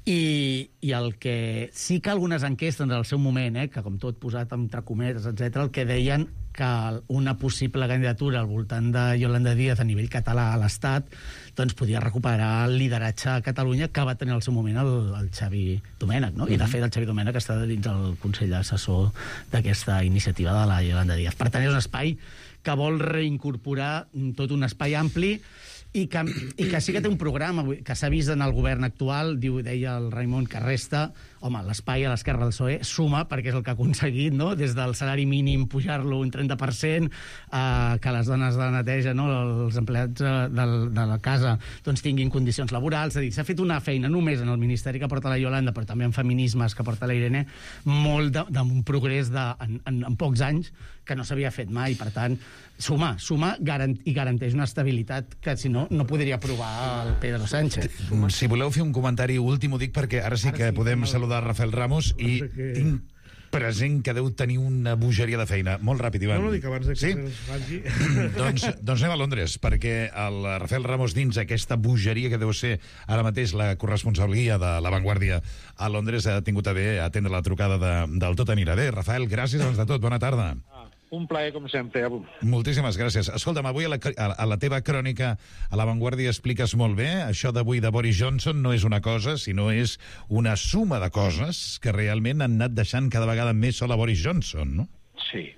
i, i el que sí que algunes enquestes en el seu moment, eh, que com tot posat entre cometes, etcètera, el que deien que una possible candidatura al voltant de Yolanda Díaz a nivell català a l'Estat doncs podia recuperar el lideratge a Catalunya que va tenir al seu moment el, el Xavi Domènech, no? I de fet el Xavi Domènech està dins el Consell Assessor d'aquesta iniciativa de la Yolanda Díaz. Per tant, és un espai que vol reincorporar tot un espai ampli i que, i que sí que té un programa que s'ha vist en el govern actual, diu, deia el Raimon, que resta, home, l'espai a l'esquerra del P S O E suma, perquè és el que ha aconseguit, no?, des del salari mínim pujar-lo un trenta per cent, eh, que les dones de la neteja, no?, els empleats de, de la casa, doncs tinguin condicions laborals. És a dir, s'ha fet una feina només en el Ministeri que porta la Yolanda, però també en feminismes que porta la Irene, molt d'un progrés de, en, en, en pocs anys que no s'havia fet mai. Per tant, sumar, sumar garant, i garanteix una estabilitat que, si no, no podria aprovar el Pedro Sánchez. Si voleu fer un comentari últim, ho dic perquè ara sí que ara sí, podem saludar Rafael Ramos i que... tinc present que deu tenir una bogeria de feina. Molt ràpid, Ivan. No, no, dic abans de que sí? se'ns vagi... doncs, doncs anem a Londres, perquè el Rafael Ramos, dins aquesta bogeria que deu ser ara mateix la corresponsalia de La Vanguardia a Londres, ha tingut a bé atendre la trucada de, del Tot anirà bé. Rafael, gràcies abans de tot. Bona tarda. Un plaer, com sempre. Moltíssimes gràcies. Escolta'm, avui a la, a la teva crònica a La Vanguardia expliques molt bé, això d'avui de Boris Johnson no és una cosa, sinó és una suma de coses que realment han anat deixant cada vegada més sol a Boris Johnson, no? Sí.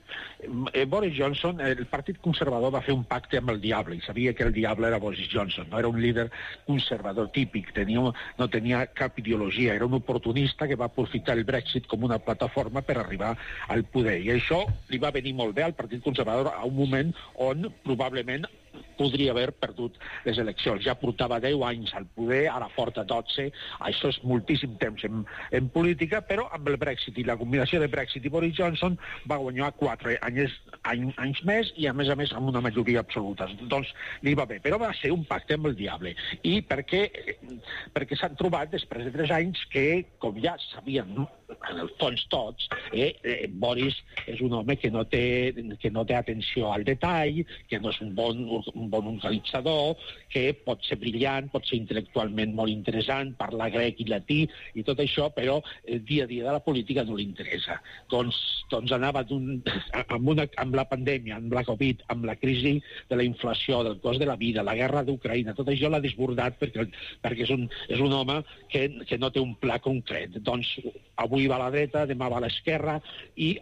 Eh, Boris Johnson, el Partit Conservador va fer un pacte amb el diable, i sabia que el diable era Boris Johnson, no era un líder conservador típic, tenia, no tenia cap ideologia, era un oportunista que va aprofitar el Brexit com una plataforma per arribar al poder, i això li va venir molt bé al Partit Conservador a un moment on probablement podria haver perdut les eleccions. Ja portava deu anys al poder, ara porta dotze, això és moltíssim temps en, en política, però amb el Brexit i la combinació de Brexit i Boris Johnson va guanyar quatre anys, any, anys més i a més a més amb una majoria absoluta. Doncs li va bé, però va ser un pacte amb el diable. I perquè, perquè s'han trobat després de tres anys que, com ja sabien en el fons tots, eh, eh, Boris és un home que no té, que no té atenció al detall, que no és un bon, un bon organitzador, que pot ser brillant, pot ser intel·lectualment molt interessant, parlar grec i latí i tot això, però el dia a dia de la política no li interessa. Doncs, doncs anava amb, una, amb la pandèmia, amb la Covid, amb la crisi de la inflació, del cost de la vida, la guerra d'Ucraïna, tot això l'ha desbordat perquè, perquè és, un, és un home que, que no té un pla concret. Doncs avui va a la dreta, demà va a l'esquerra i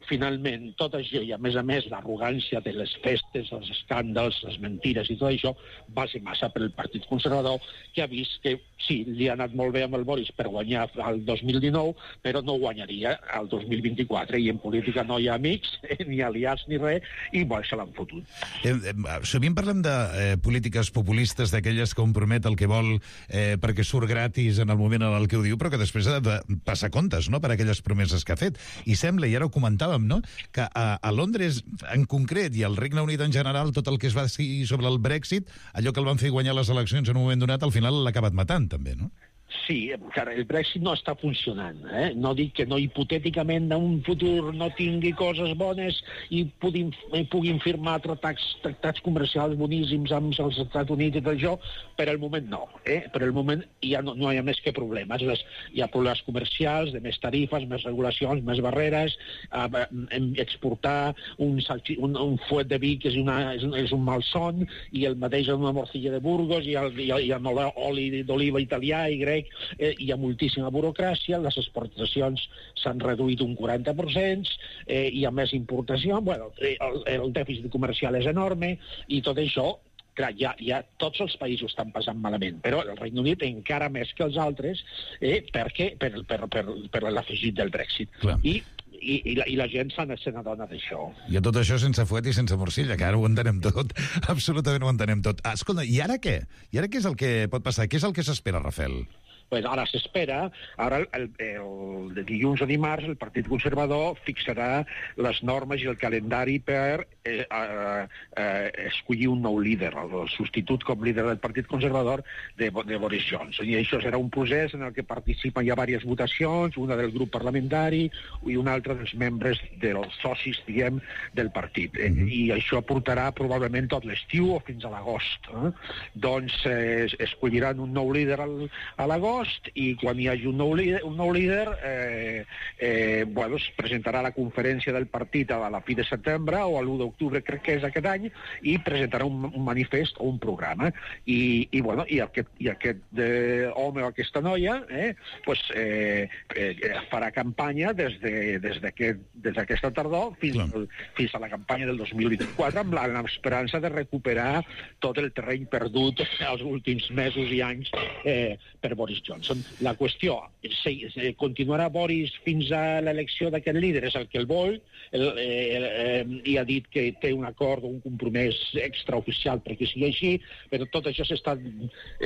finalment tot això i a més a més l'arrogància de les festes, els escàndals, les mentires i tot això va ser massa per al Partit Conservador, que ha vist que sí, li ha anat molt bé amb el Boris per guanyar el dos mil dinou, però no guanyaria el dos mil vint-i-quatre, i en política no hi ha amics, ni aliats ni res, i bueno, se l'han fotut. Eh, eh, sovint parlem de eh, polítiques populistes, d'aquelles que compromet el que vol eh, perquè surt gratis en el moment en el que ho diu, però que després ha de passar comptes, no?, per aquelles promeses que ha fet. I sembla, i ara ho comentàvem, no?, que a, a Londres en concret i al Regne Unit en general, tot el que es va decidir sobre el Brexit, allò que el van fer guanyar les eleccions en un moment donat, al final l'ha acabat matant, també, no? Sí, clar, el Brexit no està funcionant. Eh? No dic que no hipotèticament en un futur no tingui coses bones i puguin, puguin firmar tractats, tractats comercials boníssims amb els Estats Units i tot això, per al moment no. Eh? Per al moment ja no, no hi ha més que problemes. Les, hi ha problemes comercials, de més tarifes, més regulacions, més barreres, eh, exportar un, salchi, un, un fuet de vi que és, una, és, un, és un malson, i el mateix una morcilla de Burgos, i el, i el, i el oli d'oliva italià i grec. Eh, hi ha moltíssima burocràcia, les exportacions s'han reduït un quaranta per cent, eh, hi ha més importació, bueno, el, el dèficit comercial és enorme, i tot això, clar, ja, ja tots els països estan passant malament, però el Regne Unit encara més que els altres, eh, perquè per, per, per, per l'afegit del Brexit. Clar. I I, i, la, i la gent se n'adona d'això. I a tot això sense fuet i sense morcilla, que ara ho entenem tot, absolutament ho entenem tot. Ah, escolta, i ara què? I ara què és el que pot passar? Què és el que s'espera, Rafael? Pues ara s'espera, ara el, el, el dilluns o dimarts el Partit Conservador fixarà les normes i el calendari per eh, eh, eh, escollir un nou líder, el substitut com líder del Partit Conservador de, de Boris Johnson. I això serà un procés en el que participen ja diverses votacions, una del grup parlamentari i una altra dels membres dels socis, diguem, del partit. Mm-hmm. I això portarà probablement tot l'estiu o fins a l'agost. Eh? Doncs eh, escolliran un nou líder al, a l'agost, i quan hi hagi un nou líder, un nou líder eh, eh, bueno, es presentarà la conferència del partit a la fi de setembre o a l'u d'octubre, crec que és aquest any, i presentarà un, un manifest o un programa. I, i, bueno, i aquest, i aquest eh, home o aquesta noia eh, pues, eh, eh, farà campanya des de, des d'aquest, des d'aquesta tardor fins, al, fins a la campanya del dos mil vint-i-quatre, amb l'esperança de recuperar tot el terreny perdut els últims mesos i anys eh, per Boris Johnson. Johnson. La qüestió, si, si continuarà Boris fins a l'elecció d'aquest líder, és el que el vol, el, el, eh, i ha dit que té un acord o un compromís extraoficial perquè sigui així, però tot això s'està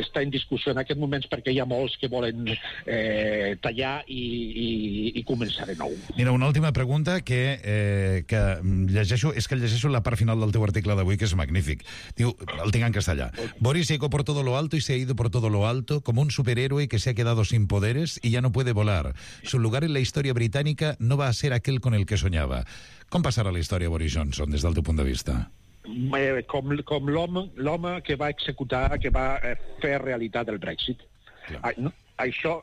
està en discussió en aquests moments perquè hi ha molts que volen eh, tallar i, i, i començar de nou. Mira, una última pregunta que, eh, que llegeixo, és que llegeixo la part final del teu article d'avui, que és magnífic. Diu, el tinc en castellà. Boris llegó por todo lo alto y se ha ido por todo lo alto como un superhéroe que se ha quedado sin poderes y ya no puede volar. Su lugar en la historia británica no va a ser aquel con el que soñaba. Com passarà la història Boris Johnson, des del teu punt de vista? Eh, com com l'home l'home que va executar, que va eh, fer realitat el Brexit. Ah, no, això...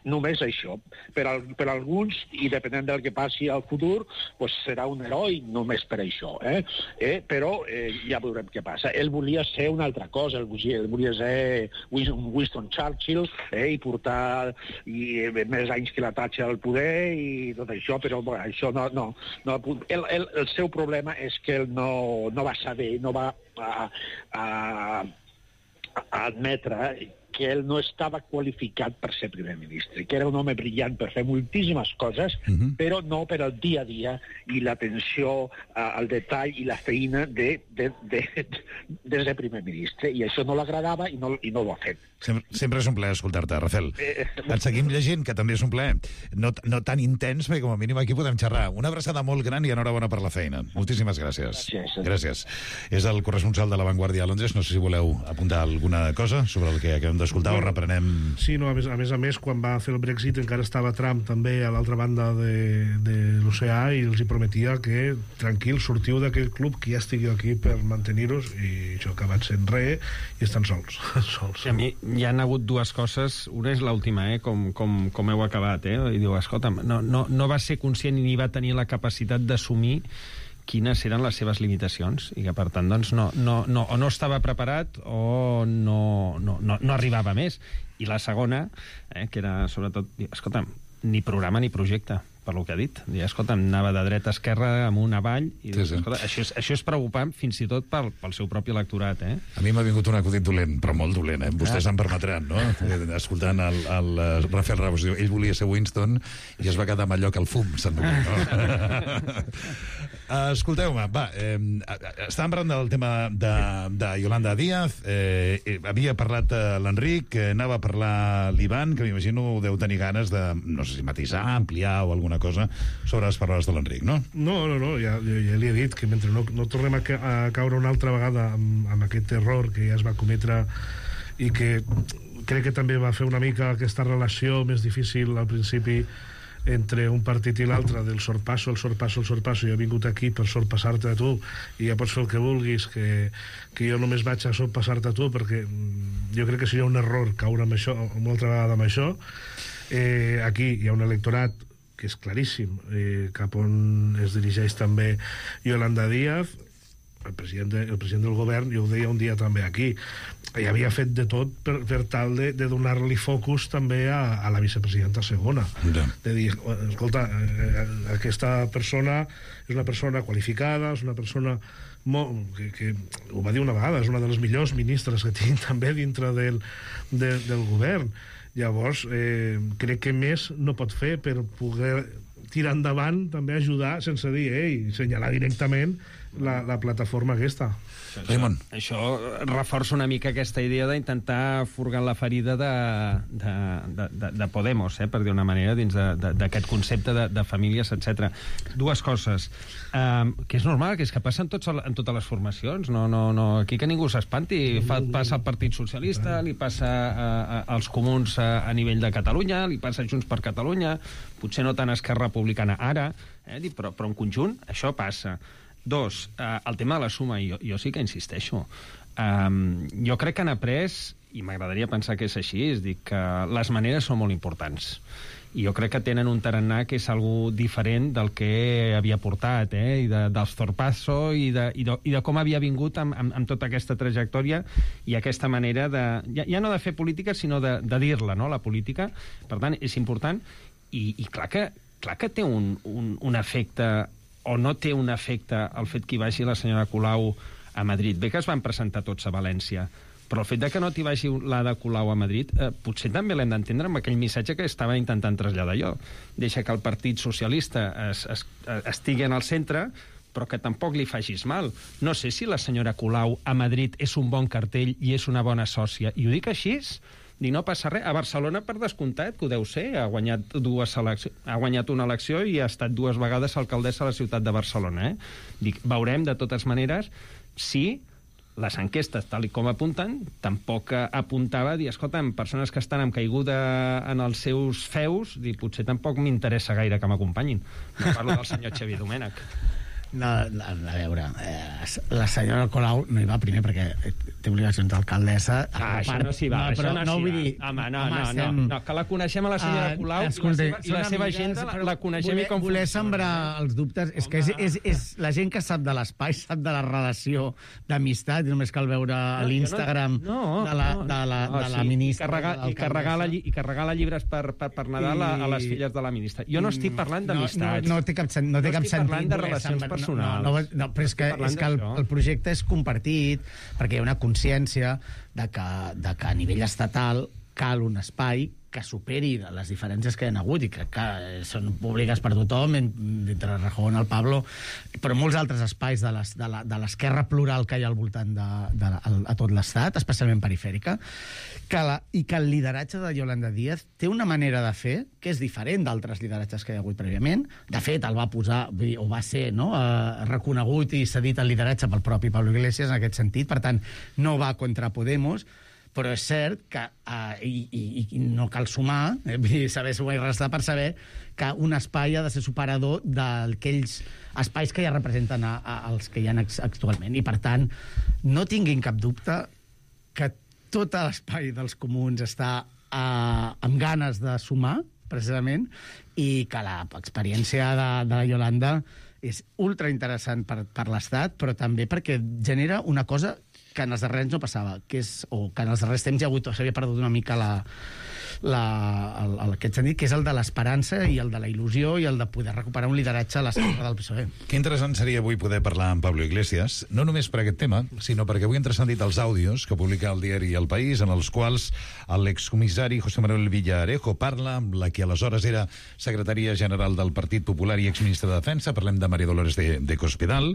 Només això. Per, al, per alguns, i depenent del que passi al futur, pues serà un heroi només per això. Eh? Eh, però eh, ja veurem què passa. Ell volia ser una altra cosa, ell volia, ell volia ser Winston Churchill eh, i portar i, eh, més anys que la Thatcher al poder i tot això, però bueno, això no... no, no el, el, el seu problema és que ell no, no va saber, no va a, a, a admetre que ell no estava qualificat per ser primer ministre, que era un home brillant per fer moltíssimes coses, uh-huh. però no per al dia a dia i l'atenció al detall i la feina de, de, de, de, de ser primer ministre. I això no l'agradava i, no, i no ho ha fet. Sempre, sempre és un plaer escoltar-te, Rafael. Eh, Et seguim llegint, que també és un plaer. No, no tan intens, perquè com a mínim aquí podem xerrar. Una abraçada molt gran i enhorabona per la feina. Moltíssimes gràcies. Gràcies. Gràcies. És el corresponsal de La Vanguardia a Londres. No sé si voleu apuntar alguna cosa sobre el que acabem d'escoltar o reprenem... Sí, no, a més, a més a més, quan va fer el Brexit encara estava Trump també a l'altra banda de, de l'oceà i els hi prometia que tranquil, sortiu d'aquell club, que ja estigueu aquí per mantenir-vos, i això ha acabat sent res i estan sols. sols. I a mi hi han hagut dues coses. Una és l'última, eh? com, com, com heu acabat. Eh? I diu, escolta, no, no, no va ser conscient ni va tenir la capacitat d'assumir quines eren les seves limitacions i que, per tant, doncs, no, no, no, o no estava preparat o no, no, no, no arribava més. I la segona, eh, que era, sobretot, escolta, ni programa ni projecte, per lo que ha dit. I, escolta, anava de dreta a esquerra, amunt avall, i sí, sí. Escolta, això, és, això és preocupant fins i tot pel, pel seu propi electorat. Eh? A mi m'ha vingut un acudit dolent, però molt dolent, eh? Vostès ah. em permetran, no? Escoltant el, el, el Rafael Ramos, ell volia ser Winston i es va quedar amb allò que el fum se'n va, no? Escolteu-me, va, eh, estàvem parlant del tema de, de Yolanda Díaz, eh, havia parlat eh, l'Enric, eh, anava a parlar l'Ivan, que m'imagino deu tenir ganes de, no sé si matisar, ampliar o alguna cosa sobre les paraules de l'Enric, no? No, no, no, ja, ja li he dit que mentre no, no tornem a, ca a caure una altra vegada amb, amb aquest error que ja es va cometre i que crec que també va fer una mica aquesta relació més difícil al principi entre un partit i l'altre, del sorpasso, el sorpasso, el sorpasso. Jo he vingut aquí per sorpassar-te a tu i ja pots fer el que vulguis, que, que jo només vaig a sorpassar-te a tu, perquè jo crec que seria un error caure amb això, una altra vegada amb això. Eh, aquí hi ha un electorat que és claríssim, eh, cap on es dirigeix també Yolanda Díaz, el president, de, el president del govern, jo ho deia un dia també aquí, i havia fet de tot per, per tal de, de donar-li focus també a, a la vicepresidenta segona. Ja. De dir, escolta, eh, aquesta persona és una persona qualificada, és una persona molt, que, que ho va dir una vegada, és una de les millors ministres que tinc també dintre del, de, del govern. Llavors, eh, crec que més no pot fer per poder tirar endavant, també ajudar, sense dir, ei, senyalar directament la, la plataforma aquesta. Això, això reforça una mica aquesta idea d'intentar furgar la ferida de, de, de, de, de Podemos, eh, per dir una manera, dins d'aquest concepte de, de famílies, etcètera. Dues coses. Um, que és normal, que és que passa en, tots, en totes les formacions. No, no, no, aquí que ningú s'espanti. Fa, passa al Partit Socialista, li passa a, a, als comuns a, a nivell de Catalunya, li passa a Junts per Catalunya, potser no tant a Esquerra Republicana ara, eh, però, però en conjunt això passa. Dos, eh, el tema de la suma, jo, jo sí que insisteixo. Um, jo crec que han après, i m'agradaria pensar que és així, és dir, que les maneres són molt importants. I jo crec que tenen un tarannà que és algo diferent del que havia portat, eh? I de, dels Zorpasso i de, i, de, i de com havia vingut amb, amb, amb tota aquesta trajectòria i aquesta manera de... Ja, ja no de fer política, sinó de, de dir-la, no?, la política. Per tant, és important. I, i clar, que, clar que té un, un, un efecte, o no té un efecte, el fet que hi vagi la senyora Colau a Madrid. Bé que es van presentar tots a València, però el fet de que no t'hi vagi l'Ada Colau a Madrid, eh, potser també l'hem d'entendre amb aquell missatge que estava intentant traslladar jo. Deixa que el Partit Socialista es, es, estigui en el centre, però que tampoc li facis mal. No sé si la senyora Colau a Madrid és un bon cartell i és una bona sòcia. I ho dic així, dic, no passa res. A Barcelona, per descomptat, que ho deu ser, ha guanyat, dues eleccions, ha guanyat una elecció i ha estat dues vegades alcaldessa a la ciutat de Barcelona. Eh? Dic, veurem, de totes maneres, si les enquestes, tal i com apunten, tampoc apuntava a dir, escolta, amb persones que estan amb caiguda en els seus feus, dir, potser tampoc m'interessa gaire que m'acompanyin. No parlo del senyor Xavier Domènech. No, a, a veure, eh, la senyora Colau no hi va primer perquè té obligacions d'alcaldessa. Ah, això no s'hi va, no, això no, no s'hi va. Dir, home, no, home, no, estem... no, no, que la coneixem a la senyora Colau uh, escolta, i la seva, i la seva agenda la, la coneixem voler, i com voler sembrar els dubtes, és que és, és, és la gent que sap de l'espai, sap de la relació d'amistat, i només cal veure no, l'Instagram no, no, de la, de la, de la sí, ministra. I carregar, i, carregar la, I carregar la llibres per, per, per Nadal I, a, a les filles de la ministra. Jo no estic parlant d'amistats. No, no, no té cap, no té cap sentit. No estic parlant de relacions personals. No, no, no, però és que, és que el, el projecte és compartit perquè hi ha una consciència de que, de que a nivell estatal cal un espai que superi les diferències que hi ha hagut i crec que són públiques per tothom, entre Rajón, el Pablo, però molts altres espais de l'esquerra plural que hi ha al voltant de, de, de, a tot l'Estat, especialment perifèrica, que la, i que el lideratge de Yolanda Díaz té una manera de fer que és diferent d'altres lideratges que hi ha hagut prèviament. De fet, el va posar, o va ser no, eh, reconegut i cedit el lideratge pel propi Pablo Iglesias en aquest sentit, per tant, no va contra Podemos, però és cert que, uh, i, i, i no cal sumar, eh, saber sumar i restar per saber que un espai ha de ser superador d'aquells espais que ja representen a, a, els que hi ha actualment. I, per tant, no tinguin cap dubte que tot l'espai dels comuns està uh, amb ganes de sumar, precisament, i que l'experiència de, de la Yolanda és ultra interessant per, per l'Estat, però també perquè genera una cosa que en els darrers anys no passava, que és, o que en els darrers temps hi ha hagut, s'havia perdut una mica la, la, el, el, aquest sentit, que és el de l'esperança i el de la il·lusió i el de poder recuperar un lideratge a l'esquerra del P S O E. Que interessant seria avui poder parlar amb Pablo Iglesias, no només per aquest tema, sinó perquè avui hem transcendit els àudios que publica el diari El País, en els quals l'excomissari José Manuel Villarejo parla amb la que aleshores era secretària general del Partit Popular i exministra de Defensa, parlem de María Dolores de, de Cospedal,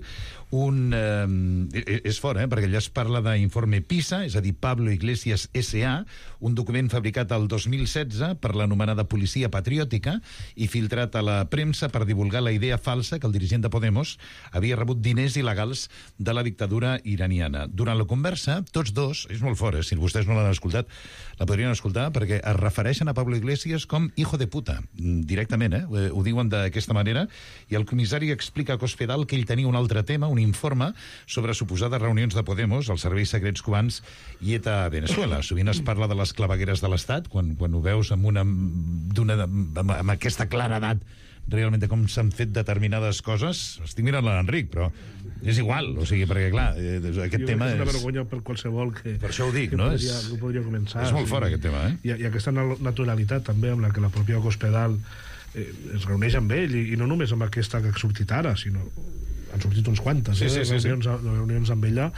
un... Eh, és fort, eh?, perquè allà es parla d'informe PISA, és a dir, Pablo Iglesias S A, un document fabricat el dos mil mil setze per l'anomenada policia patriòtica i filtrat a la premsa per divulgar la idea falsa que el dirigent de Podemos havia rebut diners il·legals de la dictadura iraniana. Durant la conversa, tots dos, és molt fort, eh? Si vostès no l'han escoltat, la podrien escoltar, perquè es refereixen a Pablo Iglesias com hijo de puta, directament, eh? Ho diuen d'aquesta manera, i el comissari explica a Cospedal que ell tenia un altre tema, un informe sobre suposades reunions de Podemos, els serveis secrets cubans i ETA a Venezuela. Sovint es parla de les clavegueres de l'Estat, quan, quan ho veus amb, una, d'una, amb, amb aquesta claredat realment de com s'han fet determinades coses. Estic mirant l'Enric, però és igual, o sigui, perquè clar, eh, aquest jo tema és... és... una vergonya per qualsevol que... Per això ho dic, que no? Podria, És... que podria començar. És molt fort, aquest tema, eh? I, i aquesta naturalitat, també, amb la que la pròpia Cospedal eh, es reuneix amb ell, i, i no només amb aquesta que ha sortit ara, sinó... Han sortit uns quantes, sí, eh? sí, sí, reunions, sí. reunions amb ella,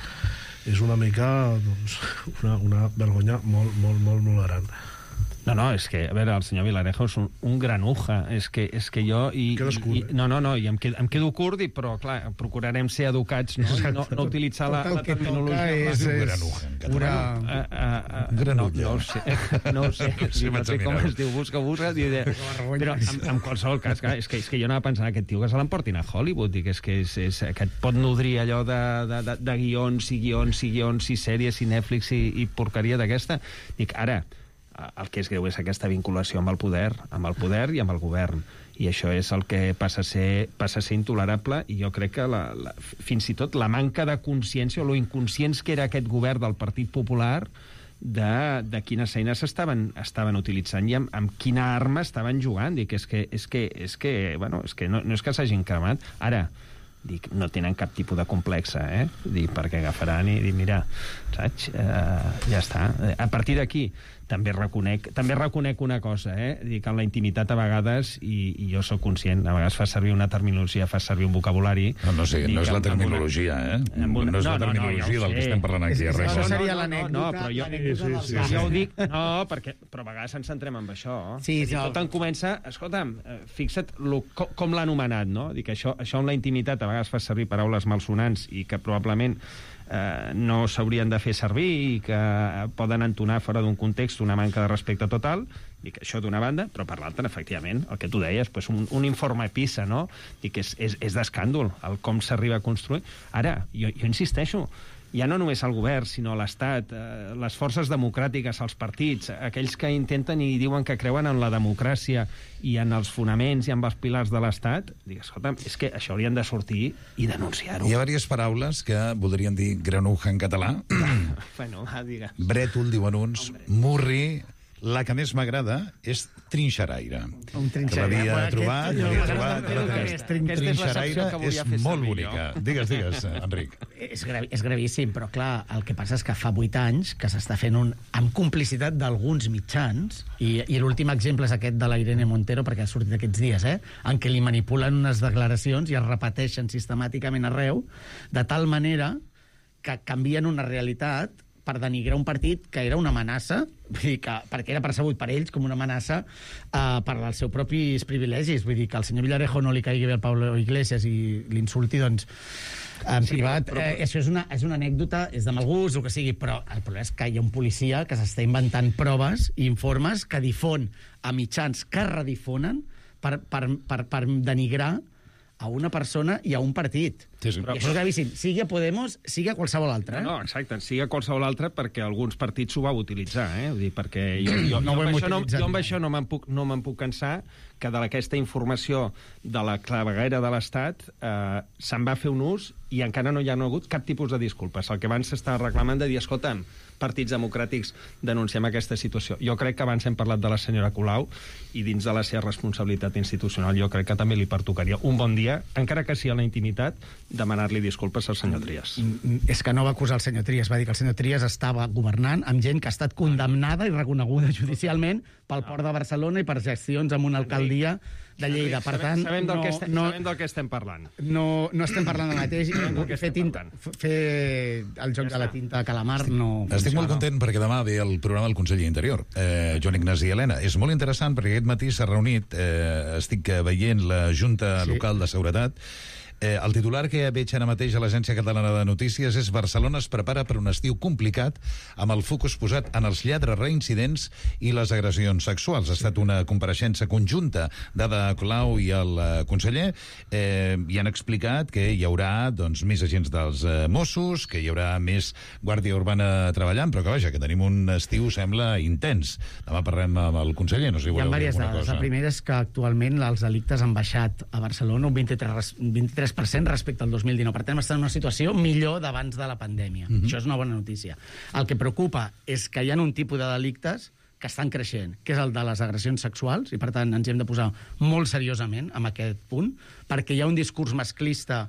és una mica, doncs, una, una vergonya molt, molt, molt, molt gran. No, no, és que, a veure, el senyor Vilarejo és un, un granuja, és que, és que jo... I, Quedes curt, i, eh? No, no, no, i em quedo, em quedo curt, i, però, clar, procurarem ser educats, no, I no, no utilitzar la, la terminologia... és, és granuja, en català. Uh, uh, uh, Granulla. No, no ho sé, no ho sé, Sí, no sé vaig a com mirar. es diu, busca, busca, i de... però en, en qualsevol cas, clar, és que, és que jo anava pensant aquest tio que se l'emportin a Hollywood, dic, és que, és, és, que et pot nodrir allò de, de, de, de guions i guions i guions i sèries i Netflix i, i porqueria d'aquesta. Dic, ara, el que és greu és aquesta vinculació amb el poder, amb el poder i amb el govern. I això és el que passa a ser, passa a ser intolerable, i jo crec que la, la, fins i tot la manca de consciència o lo inconscients que era aquest govern del Partit Popular de, de quines eines estaven, estaven utilitzant i amb, amb quina arma estaven jugant. Dic, és que, és que, és que, bueno, és que no, no és que s'hagin cremat. Ara, dic, no tenen cap tipus de complexa, eh? Dic, perquè agafaran i dir, mira, saps? Eh, ja està. A partir d'aquí, també reconec, també reconec una cosa, eh? Dic, en la intimitat a vegades, i, i jo sóc conscient, a vegades fa servir una terminologia, fa servir un vocabulari... No, no sé, dic, no és la una, terminologia, eh? Una, no és la no, terminologia no, no, ja del que estem parlant aquí. És, res. no, seria no, l'anècdota, no, però jo, l'anècdota sí, sí, sí, jo ho dic, no, perquè, però a vegades ens centrem en això. Sí, Dic, no. tot en comença, escolta'm, eh, fixa't lo, com, com l'ha anomenat, no? Dic, això, això en la intimitat a vegades fa servir paraules malsonants i que probablement eh, no s'haurien de fer servir i que poden entonar fora d'un context una manca de respecte total. Dic, això d'una banda, però per l'altra, efectivament, el que tu deies, pues un, un informe PISA, no? Dic, és, és, és d'escàndol el com s'arriba a construir. Ara, jo, jo insisteixo, ja no només el govern, sinó l'Estat, eh, les forces democràtiques, els partits, aquells que intenten i diuen que creuen en la democràcia i en els fonaments i en els pilars de l'Estat, dic, escolta'm, és que això haurien de sortir i denunciar-ho. Hi ha diverses paraules que voldrien dir granuja en català. Bueno, va, digues. Brètol, diuen uns, murri... La que més m'agrada és trinxeraire. Un trinxeraire. Que l'havia Bueno, trobat, aquest- l'havia jo- trobat. jo- Aquesta és trin- aquesta és la secció trinxeraire que volia és fer molt servir bonica. jo. Digues, digues, Enric. És, gravi, és gravíssim, però clar, el que passa és que fa vuit anys que s'està fent un, amb complicitat d'alguns mitjans, i, i l'últim exemple és aquest de la Irene Montero, perquè ha sortit aquests dies, eh, en què li manipulen unes declaracions i es repeteixen sistemàticament arreu, de tal manera que canvien una realitat per denigrar un partit que era una amenaça, vull dir que, perquè era percebut per ells com una amenaça eh, per als seus propis privilegis. Vull dir que al senyor Villarejo no li caigui bé al Pablo Iglesias i l'insulti, doncs, en sí, privat. Però, però... Eh, això és una, és una anècdota, és de mal gust, o que sigui, però el problema és que hi ha un policia que s'està inventant proves i informes que difon a mitjans que redifonen per, per, per, per denigrar a una persona i a un partit. Sí, sí. I això és gravíssim. Sigui a Podemos, sigui a qualsevol altre. Eh? No, no, exacte, sigui a qualsevol altre perquè alguns partits ho vau utilitzar, eh? Vull dir, perquè jo, jo, No jo, ho hem amb, això no, utilitzat jo amb mai. això no me'n puc, no me'n puc cansar que d'aquesta informació de la claveguera de l'Estat eh, se'n va fer un ús i encara no hi ha no hagut cap tipus de disculpes. El que abans s'està reclamant de dir, escolta'm, partits democràtics denunciem aquesta situació. Jo crec que abans hem parlat de la senyora Colau i dins de la seva responsabilitat institucional jo crec que també li pertocaria un bon dia, encara que sigui a la intimitat, demanar-li disculpes al senyor Trias. És que no va acusar el senyor Trias, va dir que el senyor Trias estava governant amb gent que ha estat condemnada i reconeguda judicialment pel Port de Barcelona i per gestions amb una alcaldia de Lleida. Per tant, sabem, del no, que estem, no, sabem del que estem parlant. no, no estem parlant del mateix. Fer, tinta, fer el joc de la tinta de calamar no... Estic molt funciona. content perquè demà ve el programa del conseller Interior, eh, Joan Ignasi Helena. És molt interessant perquè aquest matí s'ha reunit, eh, estic veient la Junta Sí. Local de Seguretat, Eh, el titular que veig ara mateix a l'Agència Catalana de Notícies és Barcelona es prepara per un estiu complicat amb el focus posat en els lladres reincidents i les agressions sexuals. Ha estat una compareixença conjunta d'Ada Colau i el eh, conseller eh, i han explicat que hi haurà doncs, més agents dels eh, Mossos, que hi haurà més Guàrdia Urbana treballant, però que vaja, que tenim un estiu, sembla, intens. Demà parlem amb el conseller, no sé si Hi ha voleu dir diverses alguna dades. cosa. La primera és que actualment els delictes han baixat a Barcelona un vint-i-tres, vint-i-tres per cent respecte al dos mil dinou. Per tant, estem en una situació millor d'abans de la pandèmia. Mhm. Això és una bona notícia. El que preocupa és que hi ha un tipus de delictes que estan creixent, que és el de les agressions sexuals, i per tant ens hi hem de posar molt seriosament en aquest punt, perquè hi ha un discurs masclista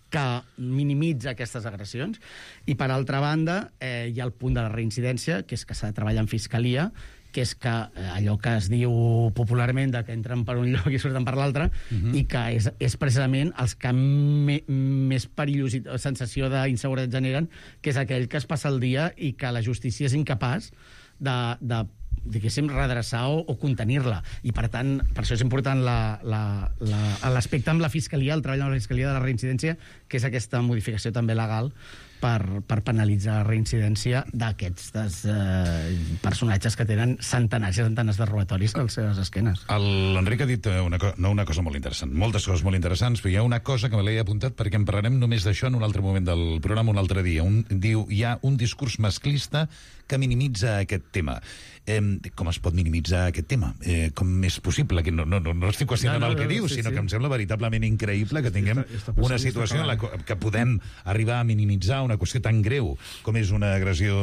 que minimitza aquestes agressions, i per altra banda eh, hi ha el punt de la reincidència, que és que s'ha de treballar en fiscalia, que és que eh, allò que es diu popularment de que entren per un lloc i surten per l'altre, Mhm. i que és, és precisament els que me, més perillositat, sensació d'inseguretat generen, que és aquell que es passa el dia i que la justícia és incapaç de, de diguéssim, redreçar o, o contenir-la. I, per tant, per això és important la- la- la- l'aspecte amb la Fiscalia, el treball amb la Fiscalia de la reincidència, que és aquesta modificació també legal per, per penalitzar la reincidència d'aquests eh, personatges que tenen centenars i centenars de robatoris a les seves esquenes. L'Enric ha dit eh, una, co no una cosa molt interessant, moltes coses molt interessants, però hi ha una cosa que me l'he apuntat perquè en parlarem només d'això en un altre moment del programa, un altre dia. Un, diu, hi ha un discurs masclista que minimitza aquest tema. Eh, com es pot minimitzar aquest tema? Eh, com és possible? Que no, no, no, no estic qüestionant No, no, el que no, diu, sí, sinó sí. que em sembla veritablement increïble que tinguem Està- està una passant, situació està en la co- que podem arribar a minimitzar una qüestió tan greu com és una agressió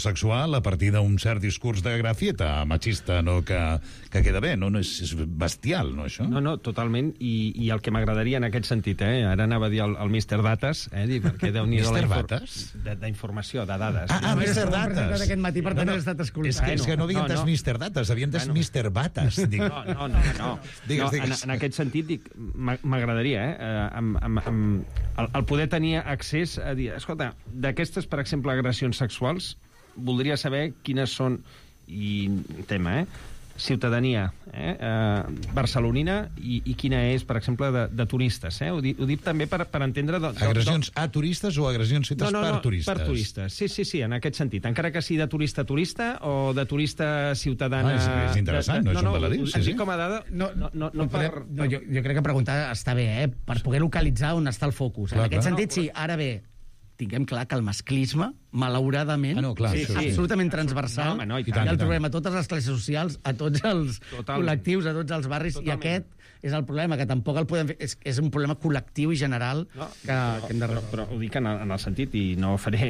sexual a partir d'un cert discurs de grafieta machista, no, que, que queda bé, no? No és, és bestial, no, això? No, no, totalment, i, i el que m'agradaria en aquest sentit, eh, ara anava a dir el, el míster Dates, eh, dir, perquè Déu-n'hi-do la míster infor- Dates? de- d'informació, de dades. Ah, ah, No, míster no, Dates. Aquest matí, per tant, No, no, he estat escoltant. És que, és que no havia No, entès no. míster Dates, havia entès Bueno. míster Bates. Dic. No, no, no, no. Digues, no digues. En, en aquest sentit, dic, m'a- m'agradaria, eh, eh, amb, amb, amb el, el poder tenir accés a dir, escolta, d'aquestes, per exemple, agressions sexuals, voldria saber quines són, i tema, eh, ciutadania eh, eh, barcelonina i, i quina és, per exemple, de, de turistes. Eh? Ho, dic, ho dic també per, per entendre... De, de, Agressions a turistes o agressions fetes no, no, per no, turistes? per turistes. Sí, sí, sí, en aquest sentit. Encara que sigui de turista a turista o de turista ciutadana... Ah, és- és interessant, no? És un baladí, ho- sí, ho sí. dic com a dada... No, no, no, no, no, per... podem, no jo, jo crec que preguntar està bé, eh? Per poder localitzar on està el focus. Clar, en aquest clar. sentit, sí. Ara bé, tinguem clar que el masclisme, malauradament, Ah, no, clar, és això sí. absolutament transversal. No, home, no, i i tant, i el tant. trobem a totes les classes socials, a tots els Totalment. col·lectius, a tots els barris, Totalment. i aquest és el problema, que tampoc el podem fer... És, és un problema col·lectiu i general No, que, que hem de... però, però ho dic en el, en el sentit, i no faré,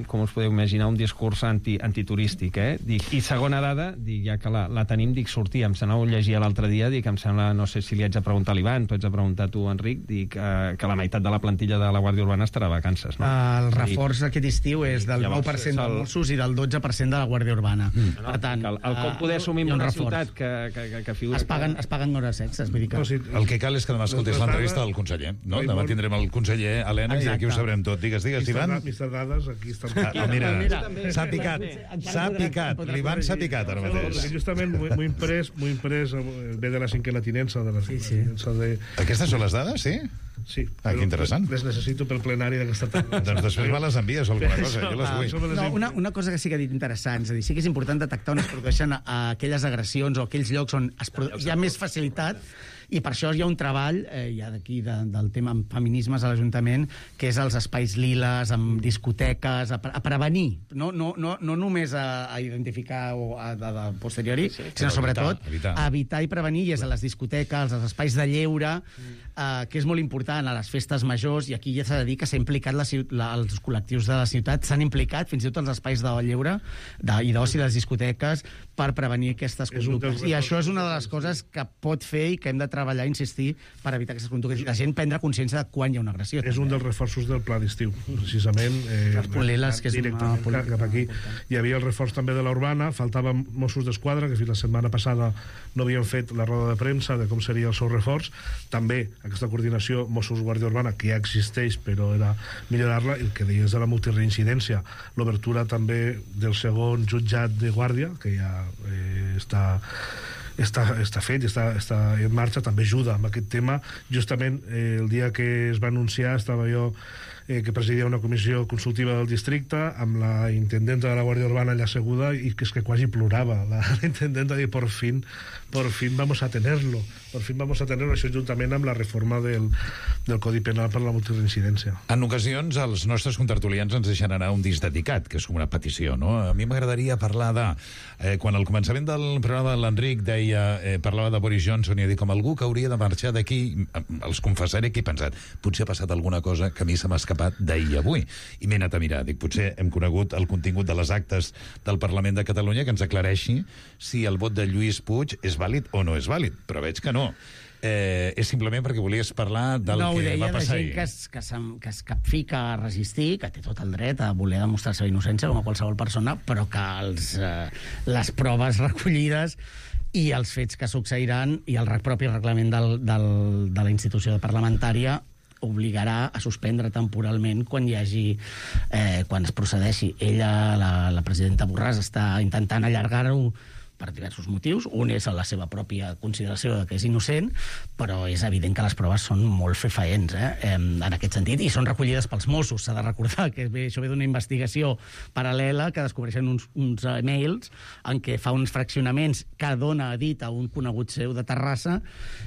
com us podeu imaginar, un discurs anti, antiturístic, eh? Dic, i segona dada, dic, ja que la, la tenim, dic, sortir, em sembla, ho llegia l'altre dia, dic, em sembla, no sé si li haig de preguntar a l'Ivan, tu haig de preguntar a tu, Enric, dic, eh, que la meitat de la plantilla de la Guàrdia Urbana estarà a vacances, no? El reforç aquest estiu és del Llavors, nou per cent és el- dels Mossos i del dotze per cent de la Guàrdia Urbana. No, Per tant, que el, el com eh, poder assumir hi ha un una reforç. ciutat que, que, que, que figura... Es paguen, es paguen hores extres, vull dir que... No, sí, El que cal és que demà escoltés Les l'entrevista dades- del conseller. No? Ai, Demà molt- tindrem el conseller Helena i aquí ho Exacte. sabrem tot. Digues, digues, mister Ivan. Da- mister Dades, aquí està... Ah, ah, mira, Mira, s'ha picat, s'ha picat. L'Ivan s'ha picat ara No, mateix. perquè justament muy, muy imprès, muy imprès, eh, ve de la cinquena tinença, de la Sí, cinquena sí. tinença de... Aquestes són les dades, sí? Sí. Ah, que però interessant. Les necessito pel plenari d'aquesta tarda. Doncs després me les envies o alguna cosa, jo les Ah, vull. no, una, una cosa que sí que ha dit interessant, és a dir, sí que és important detectar on es produeixen a, a aquelles agressions o aquells llocs on es produ... hi ha més facilitat, i per això hi ha un treball, eh, ja d'aquí, de, del tema amb feminismes a l'Ajuntament, que és els espais liles, amb discoteques, a, pre- a prevenir, no, no, no, no només a, a identificar o a, a, a posteriori, sí, sí, sinó però sobretot evitar, evitar. a evitar i prevenir, i és a les discoteques, als espais de lleure, eh, que és molt important, a les festes majors, i aquí ja s'ha de dir que s'ha implicat la, ciu- la, els col·lectius de la ciutat, s'han implicat fins i tot els espais de lleure de, i d'oci, les discoteques, per prevenir aquestes És un dels conductes. I reforços això és una de les coses que pot fer i que hem de treballar, insistir, per evitar aquestes conductes. I la gent prendre consciència de quan hi ha una agressió. És un dels reforços del pla d'estiu, precisament. Eh, Les poliles, que és una directament política cap aquí. important. Hi havia el reforç també de la urbana, faltaven Mossos d'Esquadra, que fins la setmana passada no havien fet la roda de premsa de com seria el seu reforç. També aquesta coordinació Mossos-Guàrdia Urbana, que ja existeix, però era millorar-la, i el que deies de la multireincidència, l'obertura també del segon jutjat de Guàrdia, que ja eh, està està, està fet, està, està en marxa, també ajuda amb aquest tema. Justament eh, el dia que es va anunciar estava jo eh, que presidia una comissió consultiva del districte amb la intendenta de la Guàrdia Urbana allà asseguda, i que és que quasi plorava la, la intendenta, de por fin, por fin vamos a tenerlo, por fin vamos a tenerlo, això juntament amb la reforma del, del Codi Penal per la multireincidència. En ocasions, els nostres contertulians ens deixen anar un disc dedicat, que és com una petició, no? A mi m'agradaria parlar de... Eh, quan al començament del programa l'Enric deia, eh, parlava de Boris Johnson, i dic, com algú que hauria de marxar d'aquí, els confessaré que he pensat, potser ha passat alguna cosa que a mi se m'ha escapat d'ahir a avui. I m'he anat a mirar. Dic, potser hem conegut el contingut de les actes del Parlament de Catalunya que ens aclareixi si el vot de Lluís Puig és vàlid o no és vàlid. Però veig que no. Eh, és simplement perquè volies parlar del no, que va passar ahir. No, ho deia de gent que es, que, es, que es capfica a resistir, que té tot el dret a voler demostrar la seva innocència com a qualsevol persona, però que els, eh, les proves recollides i els fets que succeiran i el propi reglament del, del, de la institució parlamentària obligarà a suspendre temporalment quan hi hagi eh, quan es procedeixi. Ella, la, la presidenta Borràs, està intentant allargar-ho per diversos motius. Un és la seva pròpia consideració de que és innocent, però és evident que les proves són molt fefaents, eh? en aquest sentit, i són recollides pels Mossos. S'ha de recordar que ve, això ve d'una investigació paral·lela que descobreixen uns, uns mails en què fa uns fraccionaments que dona a dit a un conegut seu de Terrassa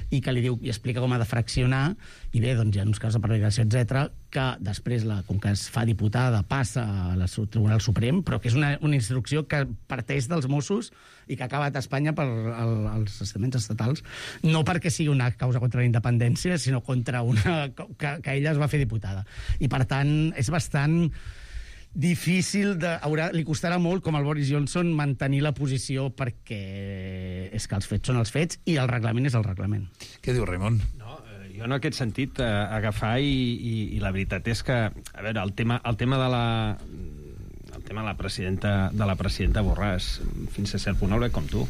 i que li diu i explica com ha de fraccionar, i bé, doncs hi ha uns casos de prevaricació, etcètera, que després, la, com que es fa diputada, passa al Tribunal Suprem, però que és una, una instrucció que parteix dels Mossos i que ha acabat a Espanya per el, els estaments estatals, no perquè sigui una causa contra la independència, sinó contra una... que, que ella es va fer diputada. I, per tant, és bastant difícil, de, haurà, li costarà molt, com al Boris Johnson, mantenir la posició, perquè és que els fets són els fets i el reglament és el reglament. Què diu Raimon? No, jo en aquest sentit eh, agafar i, i, i la veritat és que, a veure, el tema, el tema de la el tema de la presidenta de la presidenta Borràs, fins a cert punt el veig com tu.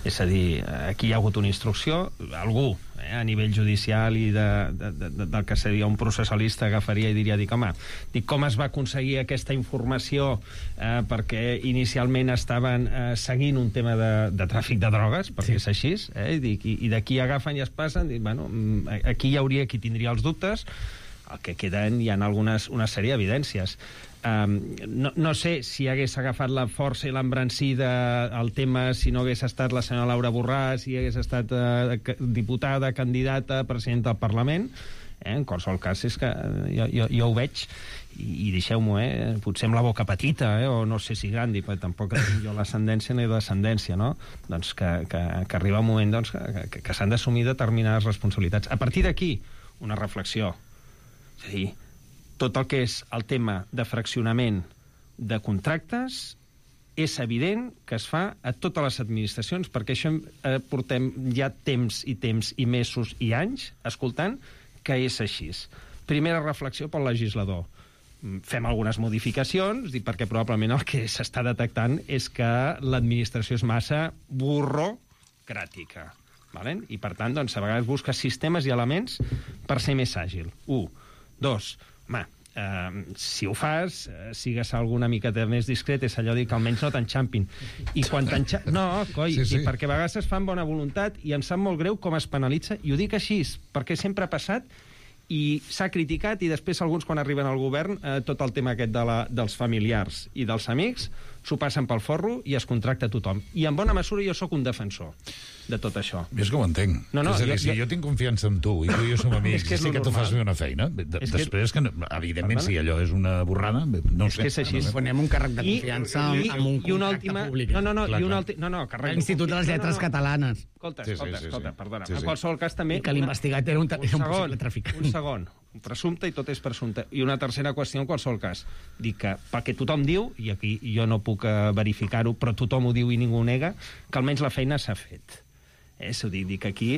És a dir, aquí hi ha hagut una instrucció, algú eh, a nivell judicial i de, de, de, del que seria un processalista agafaria i diria, dic, home, dic, com es va aconseguir aquesta informació eh, perquè inicialment estaven eh, seguint un tema de, de tràfic de drogues, perquè sí. És així, eh, i, dic, i, i d'aquí agafen i es passen, dic, bueno, aquí hi hauria qui tindria els dubtes, el que queden hi ha algunes, una sèrie d'evidències. Um, no, no sé si hagués agafat la força i l'embrancida al tema si no hagués estat la senyora Laura Borràs, si hagués estat uh, diputada, candidata, presidenta del Parlament. Eh? En qualsevol cas, és que jo, jo, jo ho veig i, i deixeu-m'ho, eh? Potser amb la boca petita, eh? O no sé si gran, perquè tampoc tinc jo l'ascendència ni la descendència, no? Doncs que, que, que arriba un moment doncs, que, que, que s'han d'assumir determinades responsabilitats. A partir d'aquí, una reflexió. És a dir, tot el que és el tema de fraccionament de contractes és evident que es fa a totes les administracions, perquè això eh, portem ja temps i temps i mesos i anys escoltant que és així. Primera reflexió pel legislador. Fem algunes modificacions, perquè probablement el que s'està detectant és que l'administració és massa burrocràtica. Vale? I, per tant, doncs, a vegades busca sistemes i elements per ser més àgil. Un. Dos. Home, eh, si ho fas, eh, sigues alguna miqueta més discret, és allò dir que almenys no t'enxampin. I quan t'enxampin... No, coi, sí, sí. Perquè a vegades es fan bona voluntat i em sap molt greu com es penalitza, i ho dic així, perquè sempre ha passat i s'ha criticat, i després alguns, quan arriben al govern, eh, tot el tema aquest de la, dels familiars i dels amics, s'ho passen pel forro i es contracta tothom. I en bona mesura jo sóc un defensor de tot això. És que ho entenc. No, no, és a dir, jo, si jo... jo tinc confiança en tu i tu i jo som amics, és que, és sí que tu fas bé una feina, de, és després, que, que evidentment, si allò és una borrada, no és sé. És que és així. Ponem un càrrec de confiança I, i, amb un contracte última... públic. No, no, no, clar, i un altre... No, no, càrrec l'Institut de les Lletres no, no. Catalanes. Escolta, sí, escolta, sí, sí, escolta, sí. perdona. Sí, sí. En qualsevol cas, també... I que l'investigat era un, un, un possible traficant. Un segon. Un presumpte i tot és presumpte. I una tercera qüestió, en qualsevol cas. Dic que, perquè tothom diu, i aquí jo no puc verificar-ho, però tothom ho diu i ningú ho nega, que almenys la feina s'ha fet. Eh, s'ho dic, dic aquí,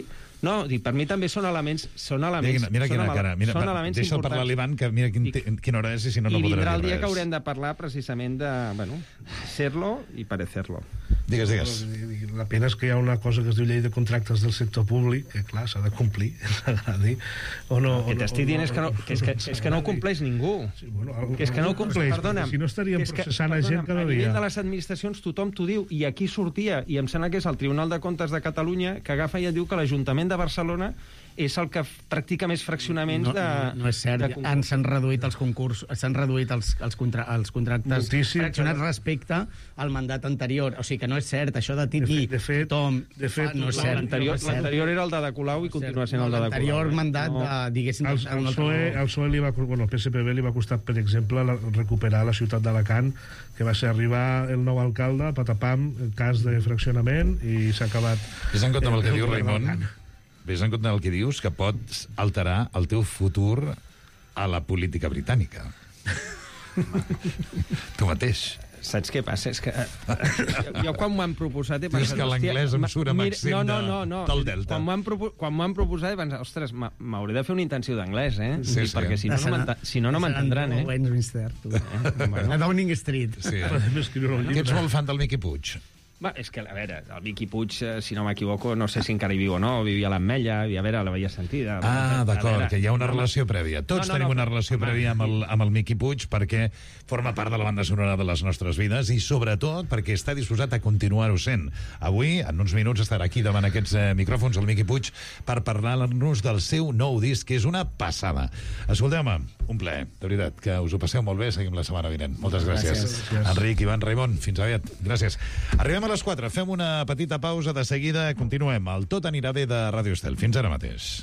No, dic, per mi també són elements... Són elements Mira, mira són quina ele- cara. Mira, són va, elements deixa'l parlar importants. l'Ivan, que mira quin, quina hora és i si no, no I podrà vindrà dir el dia res. que haurem de parlar precisament de, bueno, ser-lo i parecer-lo. Digues, digues. La pena és que hi ha una cosa que es diu llei de contractes del sector públic, que clar, s'ha de complir, ens agradi, o no... El que t'estic dient és que no, que és que, és que no ho compleix ningú. Sí, bueno, que és que no ho compleix, perdona'm. Si no estaríem Que és que, processant a gent perdona'm, cada A nivell dia. de les administracions tothom t'ho diu, i aquí sortia, i em sembla que és el Tribunal de Comptes de Catalunya, que agafa i et diu que l'Ajuntament de Barcelona és el que practica més fraccionaments No, de... no, no és cert, de concurs. Han- s'han reduït els concursos, s'han reduït els, els, contra, els contractes Moltíssim, fraccionats però- respecte al mandat anterior. O sigui que no és cert, això de dir de fet, tothom, de fet, no és cert. L'anterior no és cert. l'anterior era el de Colau i continua sent el de Colau. L'anterior mandat, No. de, diguéssim... Al, de- al un altre- PSOE, al PSOE li va, bueno, al P S P B li va costar, per exemple, la, recuperar la ciutat d'Alacant, que va ser arribar el nou alcalde, patapam, cas de fraccionament, i s'ha acabat... Ves en compte amb el que el diu govern Raimon, d'Alacant. ves en compte amb el que dius, que pots alterar el teu futur a la política britànica. Tu mateix. Saps què passa? És que eh, jo, jo quan m'ho han proposat he Dius pensat... que hòstia, l'anglès em ma- surt amb mira, accent no, no, de- no, no. del Delta. Quan m'ho han, propo quan m'ho han proposat he pensat, ostres, m'ha- m'hauré de fer una intenció d'anglès, eh? Sí, I sí. perquè si no, no m'enta- si no, no m'entendran, eh? Westminster, tu. bueno. A Downing Street. Sí. Podem escriure un Que ets llibre. molt fan del Miqui Puig. Va, és que, a veure, el Miqui Puig, eh, si no m'equivoco, no sé si encara hi viu o no, vivia a l'Ametlla, i a veure, la veia sentida. Ah, A d'acord, veure, que hi ha una no, relació prèvia. Tots no, no, tenim no, una però, relació home, prèvia amb el, amb el Miqui Puig perquè forma part de la banda sonora de les nostres vides i sobretot perquè està disposat a continuar-ho sent. Avui, en uns minuts, estarà aquí davant aquests eh, micròfons el Miqui Puig per parlar-nos del seu nou disc, que és una passada. Escolteu-me, un plaer, de veritat, que us ho passeu molt bé, seguim la setmana vinent. Moltes gràcies. Gràcies. Enric, Ivan, Raimon, fins aviat. Gràcies. Arribem a les quatre, fem una petita pausa, de seguida continuem. El Tot anirà bé de Ràdio Estel. Fins ara mateix.